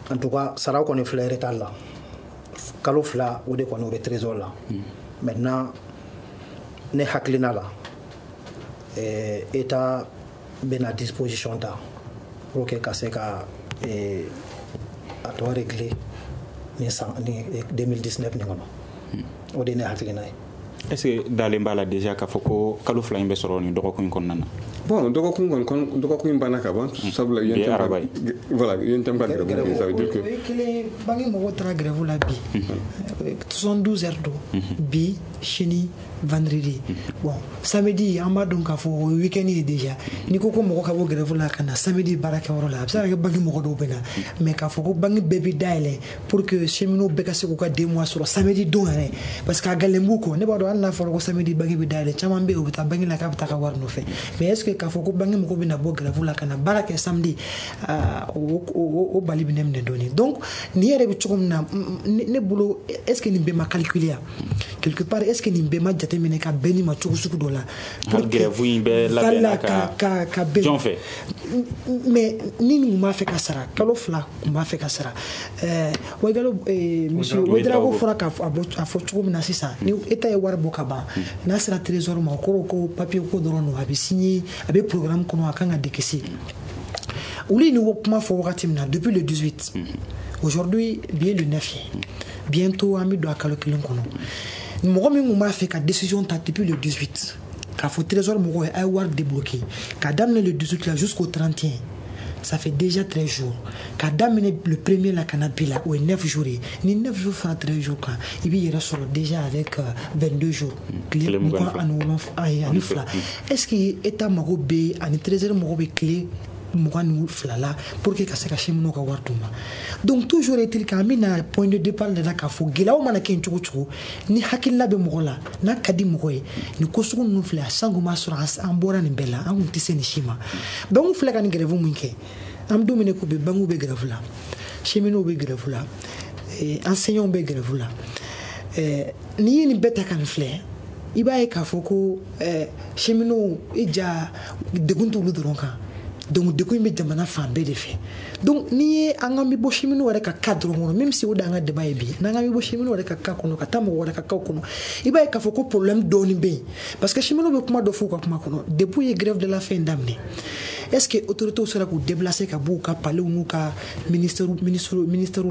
en tout cas saraw kɔni filɛ retard la. Kalo 2 o de kɔni o bɛ trésor la. Maintenant ne hakilina la, État bɛna disposition ta pour que ka se ka a tɔ régler ni san ni 2019 nin kɔnɔ. O de ye ne hakilina ye. Est ce que dalen b'a la déjà k'a fɔ ko kalo 2 in bɛ sɔrɔ nin dɔgɔkun in kɔnɔna na? Bon, dɔgɔkun kɔni, dɔgɔkun in banna ka ban, sabula bi ye araba ye. Voilà, UNTM ka grève, ça veut dire que o ye kelen. Banque mɔgɔw taara grève la bi, 72 heures don, bi, sini, vendredi. Bon, samedi an b'a dɔn k'a fɔ o ye week-end ye déjà. N'i ko ko mɔgɔ ka bɔ grève la ka na samedi baarakɛyɔrɔ la, a bɛ se ka kɛ banque mɔgɔ dɔw bɛ na, mais k'a fɔ ko banque bɛɛ bɛ dayɛlɛ pour que cheminots bɛɛ ka se k'u ka 2 mois sɔrɔ samedi don yɛrɛ, parce que a gɛlɛn b'u kɔ. Ne b'a dɔn hali n'a fɔra ko samedi banque bɛ dayɛlɛ, caman bɛ yen u bɛ taa banque la k'a bɛ taa ka wari nɔfɛ. Mais est ce que k'a fɔ ko banque mɔgɔw bɛna bɔ grève la ka na baara kɛ samedi, o bali bɛ ne minɛ dɔɔnin. Donc nin yɛrɛ bɛ cogo min na, ne bolo, est ce que nin bɛɛ ma calculer ya quelque part? Est ce que nin bɛɛ ma jateminɛ ka bɛn nin ma cogo sugu dɔ la? Hali grève in bɛɛ labɛnna ka bɛn jɔn fɛ? Mais ni nin kun b'a fɛ ka sara, kalo 2 kun b'a fɛ ka sara. Wagalo, monsieur Ouedraogo fɔra k'a fɔ cogo min na sisan, ni État ye wari bɔ ka ban, n'a sera trésor ma, o kɔrɔ ko papier ko dɔrɔn don, a bɛ signer, a bɛ programme kɔnɔ, a kan ka décaisser. Olu ye nin kuma fɔ wagati min na, depuis le 18, aujourd'hui bi ye le 9 ye, bientôt an bɛ don a kalo 1 kɔnɔ. Mɔgɔ min kun b'a fɛ ka décision ta depuis le 18, k'a fɔ trésor mɔgɔw ye a ye wari débloquer k'a daminɛ le 18 la jusqu'au 31, ça fait déjà 13 jours. K'a daminɛ le premier la ka na bi la, o ye 9 jours ye. Ni 9 jours fara 13 jours kan, i b'i yɛrɛ sɔrɔ déjà avec 22 jours, tile 22. Est ce que État mago bɛ ani trésor mago bɛ tile 22 la pour que ka se ka cheminots ka wari d'u ma? Donc toujours est-il qu'an bɛna point de départ de la k'a fɔ gɛlɛyaw mana kɛ cogo cogo, ni hakilina bɛ mɔgɔ la, n'a ka di mɔgɔ ye, nin ko sugu ninnu filɛ, san kun b'a sɔrɔ an bɔra nin bɛɛ la, an kun tɛ se nin si ma. Donc filɛ ka nin grève min kɛ, an bɛ don min na ko bi, banques bɛ grève la, cheminots bɛ grève la, enseignants bɛ grève la. N'i ye nin bɛɛ ta ka nin filɛ, i b'a ye k'a fɔ ko cheminots i ja degun t'olu dɔrɔn kan. Donc degun in bɛ jamana fan bɛɛ de fɛ. Donc n'i ye an ka bɛ bɔ cheminots yɛrɛ ka cas dɔrɔn kɔnɔ, même si o de y'an ka débat ye bi, n'an ka bɛ bɔ cheminots yɛrɛ ka cas kɔnɔ ka taa mɔgɔ wɛrɛ ka cas kɔnɔ, i b'a ye k'a fɔ ko problème dɔɔnin bɛ yen, parce que cheminots bɛ kuma dɔ fɔ u ka kuma kɔnɔ. Depuis u ye grève de la faim daminɛ, est ce que autorités sera k'u déplacer ka bɔ u ka palais n'u ka ministère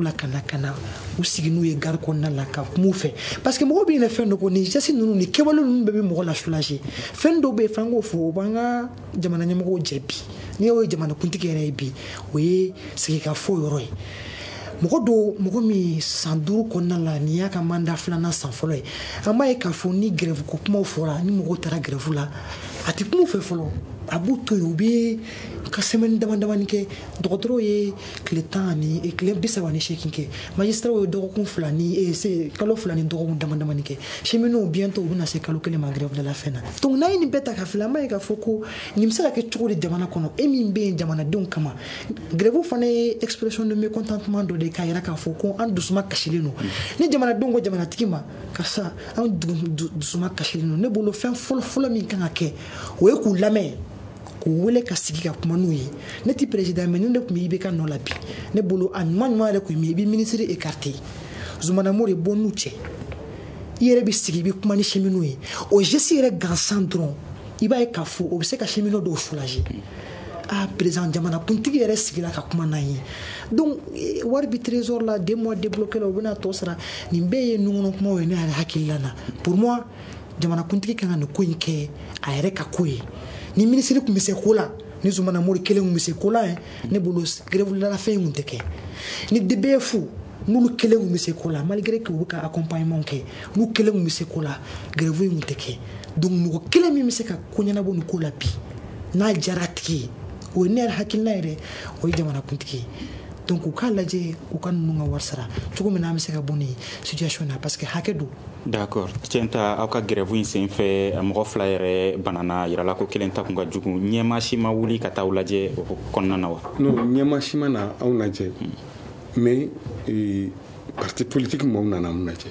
la ka na u sigi n'u ye gare kɔnɔna la ka kuma u fɛ? Parce que mɔgɔw bɛ ɲinɛ fɛn dɔ kɔ, nin geste ninnu, nin kɛwale ninnu bɛɛ bɛ mɔgɔ la soulager. Fɛn dɔw bɛ yen, f'an k'o fɔ, o b'an ka jamana ɲɛmɔgɔw jɛ bi. N'i y'o ye jamanakuntigi yɛrɛ ye bi, o ye sigikafɔ yɔrɔ ye. Mɔgɔ dɔw, mɔgɔ min san 5 kɔnɔna la, nin y'a ka mandat 2nan san fɔlɔ ye, an b'a ye k'a fɔ ni grève ko kumaw fɔra, ni mɔgɔw taara grève la, a tɛ kuma u fɛ fɔlɔ, a b'u to yen, u bɛ ka semaine dama damani kɛ. Dɔgɔtɔrɔw ye tile 10 ani tile 38 kɛ, magistrats ye dɔgɔkun 2 ni kalo 2 ni dɔgɔkun dama damani kɛ, cheminots bientôt u bɛna se kalo 1 ma grève de la faim na. Donc n'a ye nin bɛɛ ta ka filɛ, an b'a ye k'a fɔ ko nin bɛ se ka kɛ cogo di jamana kɔnɔ, e min bɛ yen jamanadenw kama? Grève fana ye expression de mécontentement dɔ de ye, k'a yira k'a fɔ ko an dusuma kasilen don. Ni jamanadenw ko jamanatigi ma karisa, an dusuma kasilen don, ne bolo fɛn fɔlɔ fɔlɔ min kan ka kɛ, o ye k'u lamɛn, k'u wele ka sigi ka kuma n'u ye. Ne ti président, mais ne de tun bɛ IBK nɔ la bi, ne bolo a ɲuman ɲuman yɛrɛ tun ye min ye, i bɛ ministre écarté, Zumana Mori bɔ n'u cɛ, i yɛrɛ bɛ sigi i bɛ kuma ni cheminots ye. O geste yɛrɛ gansan dɔrɔn, i b'a ye k'a fɔ o bɛ se ka cheminots dɔw soulager. A président jamanakuntigi yɛrɛ sigila ka kuma n'an ye. Donc wari bi trésor la, 2 mois débloqué la, u bɛna tɔ sara. Nin bɛɛ ye nunkɔnɔ kumaw ye ne yɛrɛ hakilila na. Pour moi, jamanakuntigi kan ka nin ko in kɛ a yɛrɛ ka ko ye. Ni minisiri tun bɛ se ko la, ni Zumana Mori kelen tun bɛ se ko la ye, ne bolo grève la fɛn in tun tɛ kɛ. Ni DBF n'olu kelen tun bɛ se ko la, malgré que u bɛ ka accompagnement kɛ, n'u kelen tun bɛ se ko la, grève in tun tɛ kɛ. Donc mɔgɔ kelen min bɛ se ka ko ɲɛnabɔ nin ko la bi, n'a diyara a tigi ye, o ye ne yɛrɛ hakilina yɛrɛ, o ye jamanakuntigi ye. Donc u k'a lajɛ u ka ninnu ka wari sara cogo min na, an bɛ se ka bɔ nin situation na, parce que hakɛ don. D'accord. Tiɲɛ, aw ka grève in sen fɛ, mɔgɔ 2 yɛrɛ banana, yirala ko kelen ta kun ka jugu. Ɲɛmaa si ma wuli ka taa aw lajɛ o kɔnɔna na wa? Non, ɲɛmaa si ma na anw lajɛ, mais parti politique mɔgɔw nana anw lajɛ,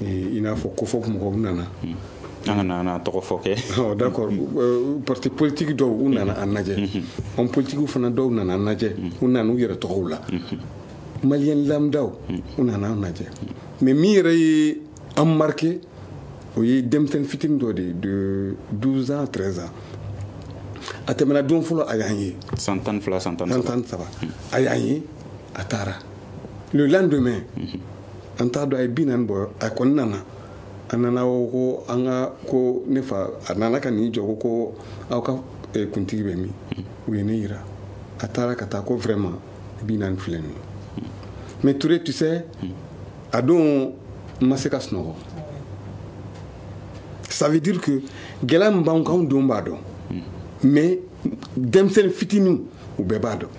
i n'a fɔ COFOP mɔgɔw nana. An ka na tɔgɔ fɔ kɛ. D'accord. Parti politique dɔw, u nana an lajɛ. Homme politique fana dɔw nana an lajɛ, u nana u yɛrɛ tɔgɔw la. Malien lambdaw, u nana an lajɛ. Mais min yɛrɛ ye an marqué, o ye denmisɛnnin fitinin dɔ de ye, de 12 ans, 13 ans. A tɛmɛna don fɔlɔ, a y'an ye. San 12, san 13. San 13, a y'an ye, a taara. Le lendemain, an t'a dɔn a ye 40 bɔ, a kɔni nana. A nana ko an ka ko ne fa, a nana ka n'i jɔ ko aw ka kuntigi bɛ min? U ye ne yira. A taara ka taa ko vraiment 40 filɛ nin ye. Mais Touré, tu sais, a don n ma se ka sunɔgɔ. Ça veut dire que gɛlɛya min b'anw kan, anw denw b'a dɔn, mais denmisɛnnin fitininw, u bɛɛ b'a dɔn.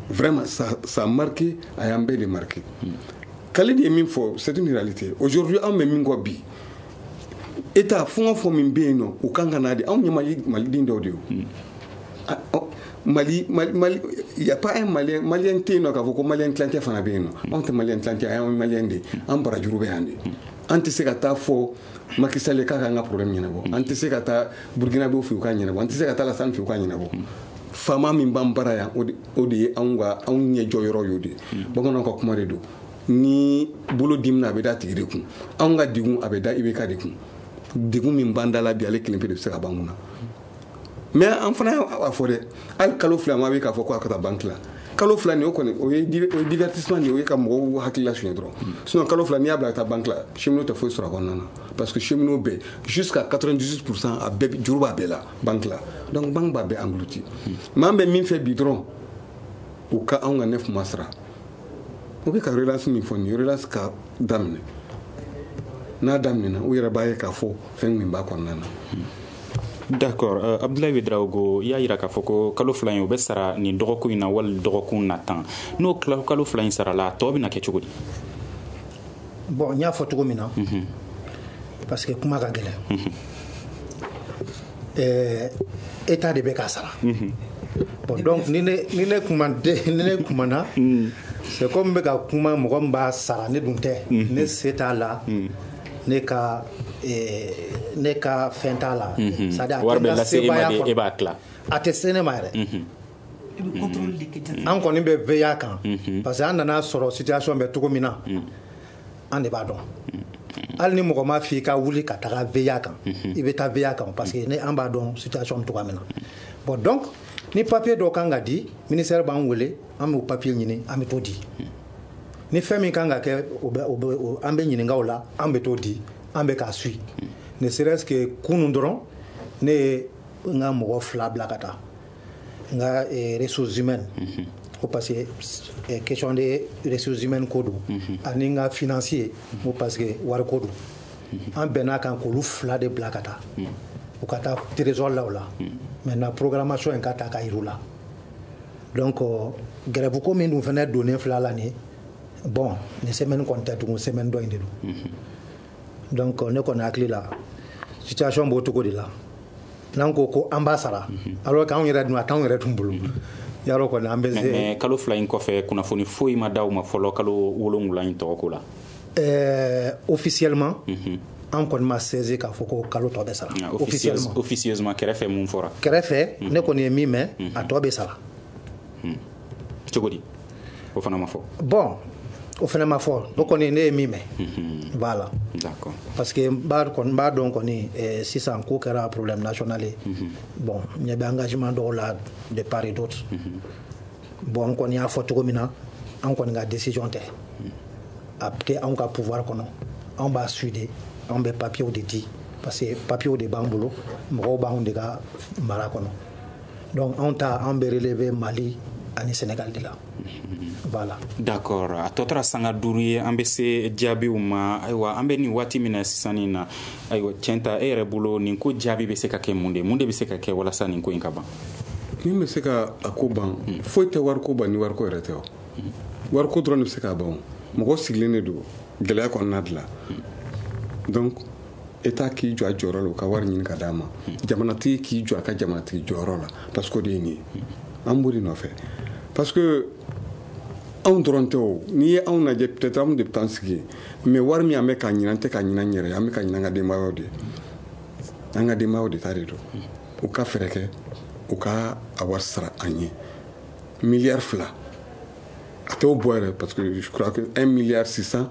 Vraiment, ça a marqué, a y'an bɛɛ de marqué. Khalid ye min fɔ, c'est une réalité. Aujourd'hui, anw bɛ min kɔ bi, État fɛn o fɛn min bɛ yen nɔ, u kan ka n'a di anw ye. Mali, maliden dɔw de ye. Mali, Mali, il y a pas un Malien, Malien tɛ yen nɔ k'a fɔ ko Malien tilancɛ fana bɛ yen nɔ. Anw tɛ Malien tilancɛ, an ye Malien de ye. An barajuru bɛ yan de. An tɛ se ka taa fɔ Macky Sall k'a k'an ka problème ɲɛnabɔ. An tɛ se ka taa Burkinabé fɛ u k'a ɲɛnabɔ. An tɛ se ka taa Alassane fɛ u k'a ɲɛnabɔ. Faama min b'an bara yan, o de ye anw ka anw ɲɛ jɔyɔrɔ y'o de ye. Bamananw ka kuma de don: ni bolo dimina, a bɛ da tigi de kun. Anw ka degun, a bɛ da IBK de kun. Degun min b'an da la bi, ale kelen pe de bɛ se ka b'an kun na. Mais an fana y'a fɔ dɛ, hali kalo 2 ma bɛ k'a fɔ ko a ka taa banque la. Kalo 2 nin, o kɔni, o ye divertissement de ye, o ye ka mɔgɔw hakili lasuɲɛ dɔrɔn. Sinon kalo 2, n'i y'a bila ka taa banque la, cheminot tɛ foyi sɔrɔ a kɔnɔna na, parce que cheminot bɛɛ, jusqu'à 98%, a bɛɛ juru b'a bɛɛ la banque la. Donc banque b'a bɛɛ englouti. Mais an bɛ min fɛ bi dɔrɔn, u ka anw ka 9 mois sara. U bɛ ka relance min fɔ nin ye, relance ka daminɛ. N'a daminɛna, u yɛrɛ b'a ye k'a fɔ fɛn min b'a kɔnɔna na. D'accord. Abdoulaye Ouédraogo, i y'a yira k'a fɔ ko kalo 2 in, o bɛ sara nin dɔgɔkun in na wali dɔgɔkun natan. N'o kalo 2 in sarala, a tɔ bɛna kɛ cogo di? Bon, n y'a fɔ cogo min na, parce que kuma ka gɛlɛn, État de bɛ k'a sara. Bon, donc ni ne kumana, c'est comme n bɛ ka kuma mɔgɔ min b'a sara, ne dun tɛ. Ne se t'a la, ne ka fɛn t'a la. C'est à dire, wari bɛ lase e ma de, e b'a tila. A tɛ se ne ma yɛrɛ. An kɔni bɛ veiller a kan, parce que an nana sɔrɔ situation bɛ cogo min na, an de b'a dɔn. Hali ni mɔgɔ ma f'i ka wuli ka taga veiller a kan, i bɛ taa veiller a kan, parce que ne an b'a dɔn situation bɛ cogoya min na. Bon, donc ni papier dɔ kan ka di, ministère b'an wele, an b'o papier ɲini, an bɛ t'o di. Ni fɛn min kan ka kɛ, o bɛ o bɛ an bɛ ɲininka o la, an bɛ t'o di, an bɛ k'a suit. Ne serait-ce que kunun dɔrɔn, ne ye n ka mɔgɔ 2 bila ka taa n ka ressources humaines ko, parce que question de ressources humaines ko don, ani n ka financier ko, parce que wari ko don. An bɛn'a kan k'olu 2 de bila ka taa, u ka taa trésor la. O la maintenant, programmation in ka ta ka yir'u la. Donc grève ko min dun fɛnɛ donnen filɛ la nin ye, bon, nin semaine kɔni tɛ tugun, semaine dɔ in de don. Donc ne kɔni hakili la, situation b'o cogo de la. N'an ko ko an b'a sara, alors qu'anw yɛrɛ dun, a t'anw yɛrɛ dun bolo yarɔ kɔni, an bɛ se. Mais kalo 2 in kɔfɛ, kunnafoni foyi ma d'aw ma fɔlɔ kalo 7 in tɔgɔ ko la? Officiellement, an kɔni ma saisi k'a fɔ ko kalo tɔ bɛ sara. Officiellement, officieusement, kɛrɛfɛ, mun fɔra? Kɛrɛfɛ, ne kɔni ye min mɛn, a tɔ bɛ sara. Cogo di? O fana ma fɔ? Bon. O fana ma fɔ. O kɔni, ne ye min mɛn, voilà. D'accord. Parce que n b'a dɔn kɔni, sisan ko kɛra problème national ye. Bon, ɲɛ bɛ engagement dɔw la de part et d'autre. Bon, n kɔni y'a fɔ cogo min na, an kɔni ka décision tɛ, a tɛ anw ka pouvoir kɔnɔ. Anw b'a suit de, anw bɛ papiers de di, parce que papiers de b'an bolo, mɔgɔw b'anw de ka mara kɔnɔ. Donc anw ta, an bɛ relever Mali ani Sénégal de la. Voilà. D'accord. A tɔ tora sanga 5 ye, an bɛ se jaabiw ma. Ayiwa, an bɛ nin waati min na sisan nin na, ayiwa, tiɲɛ ta, e yɛrɛ bolo, nin ko jaabi bɛ se ka kɛ mun de ye? Mun de bɛ se ka kɛ walasa nin ko in ka ban? Min bɛ se ka a ko ban, foyi tɛ wariko ban ni wariko yɛrɛ tɛ. O wariko dɔrɔn de bɛ se k'a ban. O mɔgɔ sigilen de don gɛlɛya kɔnɔna de la. Donc État k'i jɔ a jɔyɔrɔ la, u ka wari ɲini ka d'a ma. Jamanatigi k'i jɔ a ka jamanatigi jɔyɔrɔ la, parce que o de ye nin ye, an b'o de nɔfɛ. Parce que anw dɔrɔn tɛ. O n'i ye anw lajɛ, peut-être anw de bɛ taa sigi, mais wari min an bɛ k'a ɲini, an tɛ k'a ɲini an yɛrɛ ye, an bɛ ka ɲini an ka denbayaw de ye. An ka denbayaw de ta de don. U ka fɛɛrɛ kɛ, u ka a wari sara an ye. Miliyari 2, a t'o bɔ yɛrɛ, parce que je crois que 1 milliard 600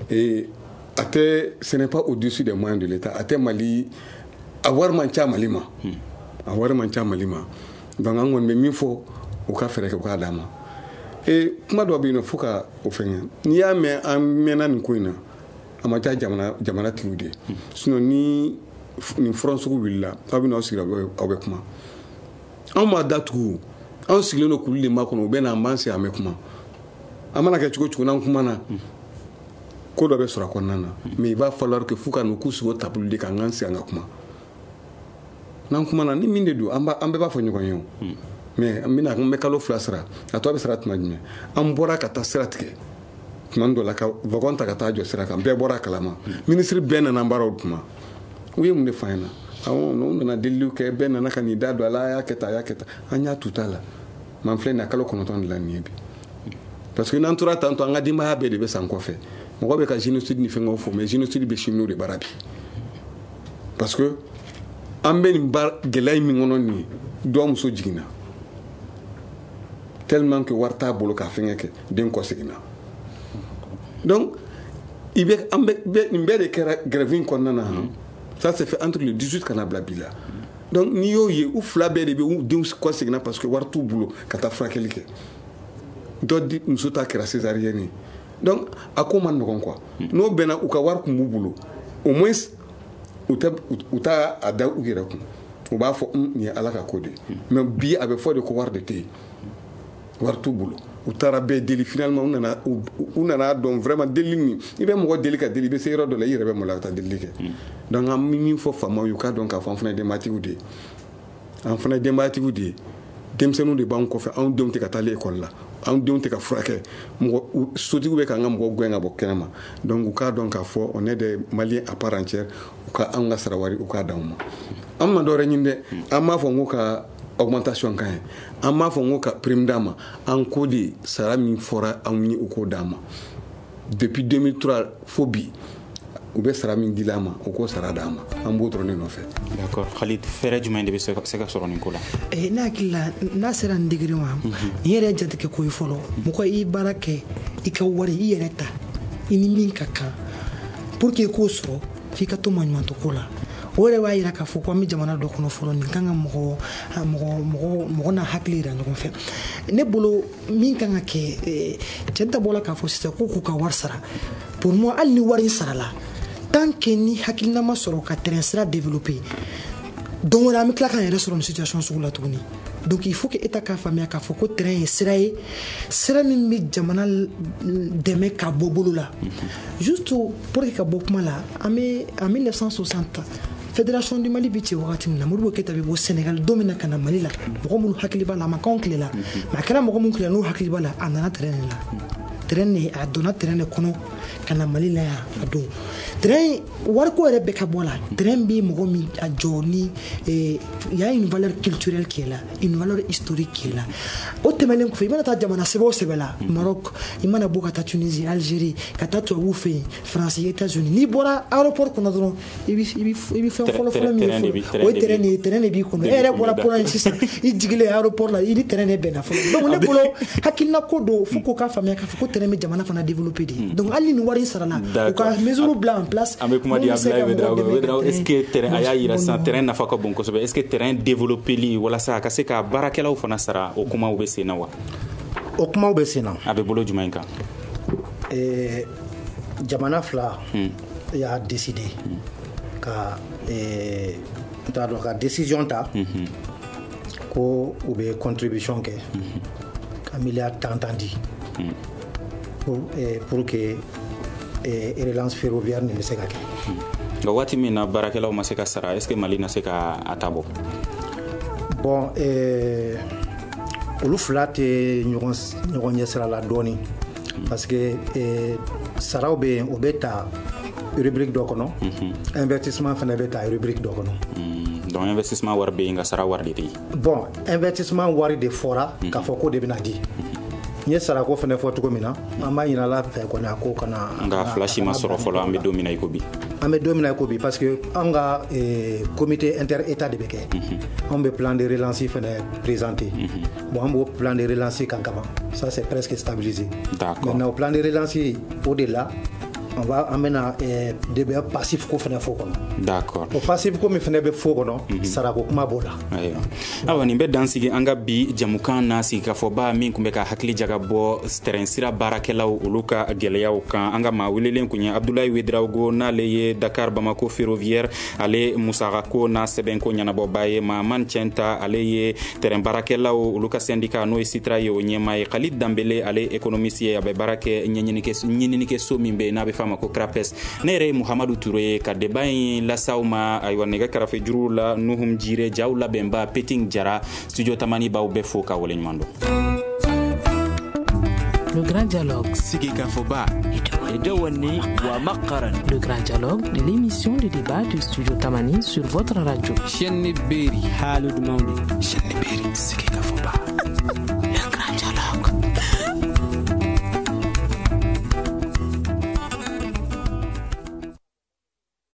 et a tɛ, ce n'est pas au-dessus des moyens de l'État. A tɛ Mali, a wari man ca Mali ma, a wari man ca Mali ma. Donc an kɔni bɛ min fɔ, u ka fɛɛrɛ kɛ, u k'a d'an ma. Et kuma dɔ bɛ yen nɔ, fo ka o fɛngɛ. N'i y'a mɛn an mɛnna nin ko in na, a ma diya jamana tigiw de ye. Sinon ni nin front sugu wulila, aw bɛ n'aw sigi, aw bɛ kuma. Anw m'a datugu, anw sigilen don kulu de makɔnɔ. U bɛ na, an b'an sigi, an bɛ kuma. An mana kɛ cogo cogo, n'an kumana, ko dɔ bɛ sɔrɔ a kɔnɔna na. Mais il va falloir que f'u ka n'u k'u sigi o table de kan, an k'an sigi, an ka kuma. N'an kumana, ni min de don, an bɛɛ b'a fɔ ɲɔgɔn ye. O mais an bɛna, an bɛ kalo 2 sara, a tɔ bɛ sara tuma jumɛn? An bɔra ka taa sira tigɛ tuma dɔ la, ka wagon ta ka taa jɔ sira kan, bɛɛ bɔra a kalama, minisiri bɛɛ nana baaraw kuma. U ye mun de f'an ɲɛna? Awɔ, n'u nana deliliw kɛ, bɛɛ nana ka n'i da don a la, a y'a kɛ tan, a y'a kɛ tan, an y'a tu t'a la. Man filɛ nin ye, kalo 9 de la nin ye bi. Parce que n'an tora tan tɔ, an ka denbaya bɛɛ de bɛ san kɔfɛ. Mɔgɔ bɛ ka génocide ni fɛngɛw fɔ, mais génocide bɛ cheminots de bara bi, parce que an bɛ nin baara gɛlɛya min kɔnɔ nin ye. Dɔ muso jiginna, tellement que wari t'a bolo k'a fɛngɛ kɛ, den kɔ seginna. Donc i bɛ, an bɛ nin bɛɛ de kɛra grève in kɔnɔna na han. Ça s'est fait entre le 18 ka na bila bi la. Donc n'i y'o ye, u fila bɛɛ de bɛ u denw kɔ seginna, parce que wari t'u bolo ka taa furakɛli kɛ. Dɔ di muso ta kɛra césarienne ye. Donc a ko man nɔgɔn quoi. N'o bɛnna, u ka wari kun b'u bolo, au moins u tɛ u t'a a da u yɛrɛ kun, u b'a fɔ nin ye Ala ka ko de ye. Mais bi, a bɛ fɔ de ko wari de tɛ yen, wari t'u bolo. U taara bɛɛ deli, finalement u nana dɔn vraiment deli nin, i bɛ mɔgɔ deli ka deli, i bɛ se yɔrɔ dɔ la, i yɛrɛ bɛ maloya ka taa delili kɛ. Donc an bɛ min fɔ faamaw ye, u k'a dɔn k'a fɔ an fana ye denbayatigiw de ye, an fana ye denbayatigiw de ye. Denmisɛnninw de b'an kɔfɛ, anw denw tɛ ka taa ekɔli la, anw denw tɛ ka furakɛ, mɔgɔ sotigiw bɛ k'an ka mɔgɔw gɛn ka bɔ kɛnɛ ma. Donc u k'a dɔn k'a fɔ on est des Maliens à part entière. U ka anw ka sara wari, u k'a d'anw ma. An ma dɔwɛrɛ ɲini dɛ. An b'a fɔ n ko ka augmentation ka ɲi, an b'a fɔ n ko ka prime d'an ma. An ko de sara min fɔra anw ye, u k'o d'an ma. Depuis 2003 fo bi, u bɛ sara min dila an ma, u k'o sara d'an ma. An b'o dɔrɔn de nɔfɛ. D'accord. Khalid, fɛɛrɛ jumɛn de bɛ se ka sɔrɔ nin ko la? Ne hakili la, n'a sera nin degré ma, nin yɛrɛ ye jatigɛ ko ye fɔlɔ. Mɔgɔ i baara kɛ, i ka wari i yɛrɛ ta, i ni min ka kan, pour que i k'o sɔrɔ, f'i ka to maɲumantɔ ko la. O yɛrɛ b'a yira k'a fɔ ko an bɛ jamana dɔ kɔnɔ fɔlɔ, nin kan ka mɔgɔ mɔgɔ mɔgɔ mɔgɔ n'a hakili yira ɲɔgɔn fɛ. Ne bolo, min kan ka kɛ, cɛ ta bɔla k'a fɔ sisan ko k'u ka wari sara. Pour moi, hali ni wari in sarala, tant que ni hakilina ma sɔrɔ ka terrain sira développer, don wɛrɛ an bɛ tila k'an yɛrɛ sɔrɔ nin situation sugu la tuguni. Donc il faut que État k'a faamuya k'a fɔ ko terrain ye sira ye, sira min bɛ jamana dɛmɛ ka bɔ bolo la. Juste pour que ka bɔ kuma la, an bɛ en 1960, Fédération du Mali bɛ ci wagati min na, Modibo Keyita bɛ bɔ Sénégal don min na ka na Mali la, mɔgɔ minnu hakili b'a la, a ma k'anw tile la, mais a kɛra mɔgɔ minnu tile la, n'u hakili b'a la, a nana terrain de la, terrain de, a donna terrain de kɔnɔ ka na Mali la yan a don. Train wariko yɛrɛ bɛɛ ka bɔ a la. Train bɛ mɔgɔ min a jɔ ni, il y a une valeur culturelle qui est là, une valeur historique qui est là. O tɛmɛnen kɔfɛ, i mana taa jamana sɛbɛ o sɛbɛ la, Maroc, i mana bɔ ka taa Tunisie, Algérie, ka taa tubabuw fɛ yen, France, États-Unis, n'i bɔra aéroport kɔnɔ dɔrɔn, i bɛ fɛn fɔlɔ fɔlɔ min ye fɔlɔ, o ye terrain de ye. Terrain de b'i kɔnɔ. E yɛrɛ bɔra Pologne sisan, i jigilen aéroport la, i ni terrain de bɛnna fɔlɔ. Donc ne bolo, hakilina ko don, fo k'o ka faamuya k'a fɔ ko terrain bɛ jamana fana développer de. Donc hali ni wari in sarala, u ka mesure bila en place. An bɛ kuma di Abdoulaye Ouédraogo. Est-ce que terrain, a y'a yira sisan, terrain nafa ka bon kosɛbɛ, est-ce que terrain développer li walasa a ka se ka baarakɛlaw fana sara, o kumaw bɛ sen na wa? O kumaw bɛ sen na. A bɛ bolo jumɛn kan? Jamana fila y'a décidé ka, n t'a dɔn, ka décision ta ko u bɛ contribution kɛ ka miliyari tan tan di pour que relance ferroviaire nin bɛ se ka kɛ. Nka waati min na baarakɛlaw ma se ka sara, est ce que Mali na se ka a ta bɔ? Bon, olu fila tɛ ɲɔgɔn ɲɛ sira la dɔɔni, parce que saraw bɛ yen, o bɛ ta rubrique dɔ kɔnɔ, investissement fana bɛ ta rubrique dɔ kɔnɔ. Donc investissement wari bɛ yen, nka sara wari de tɛ yen. Bon, investissement wari de fɔra k'a fɔ ko de bɛna di. N ye sarako fana fɔ cogo min na, an b'a ɲini Ala fɛ kɔni, a ko kana. Nka fila si ma sɔrɔ fɔlɔ, an bɛ don min na i ko bi. An bɛ don min na i ko bi, parce que an ka comité inter-état de bɛ kɛ, anw bɛ plan de relance fana présenter. Bon, an b'o plan de relance kan kaban, ça c'est presque stabilisé. Maintenant, o plan de relance, o de la on va, an bɛna de passif ko fana fɔ kɔnɔ. O passif ko min fana bɛ fɔ kɔnɔ, sarako kuma b'o la. Ayiwa, awa, nin bɛ dan sigi an ka bi jamukan na, sigikafɔba min tun bɛ ka hakili jaga bɔ terrain sira baarakɛlaw olu ka gɛlɛyaw kan. An ka maa welelen kun ye Abdoulaye Ouédraogo, n'ale ye Dakar Bamako ferroviaire ale musakako n'a sɛbɛnko ɲɛnabɔba ye. Mahamane Tienta, ale ye terrain baarakɛlaw olu ka syndicat, n'o ye SITRA ye, o ɲɛmaa ye. Khalid Danbele, ale économiste ye, a bɛ baara kɛ ɲɛɲinikɛ so min bɛ yen n'a bɛ f'a ma ko CRAPES. Ne yɛrɛ ye Muhamadu Ture ye ka débat in lasaw ma. Ayiwa, nɛgɛ karafe juru la, Nuhum Jire, jaw labɛnba Peting Jara. Studio Tamani b'aw bɛɛ fo ka waleɲuman dɔn. Le grand dialogue. Sigikafɔba. Le grand dialogue de l'émission de débat du Studio Tamani sur votre radio. Chaîne Berry. Haalude mawde. Chaîne Berry. Sigikafɔba.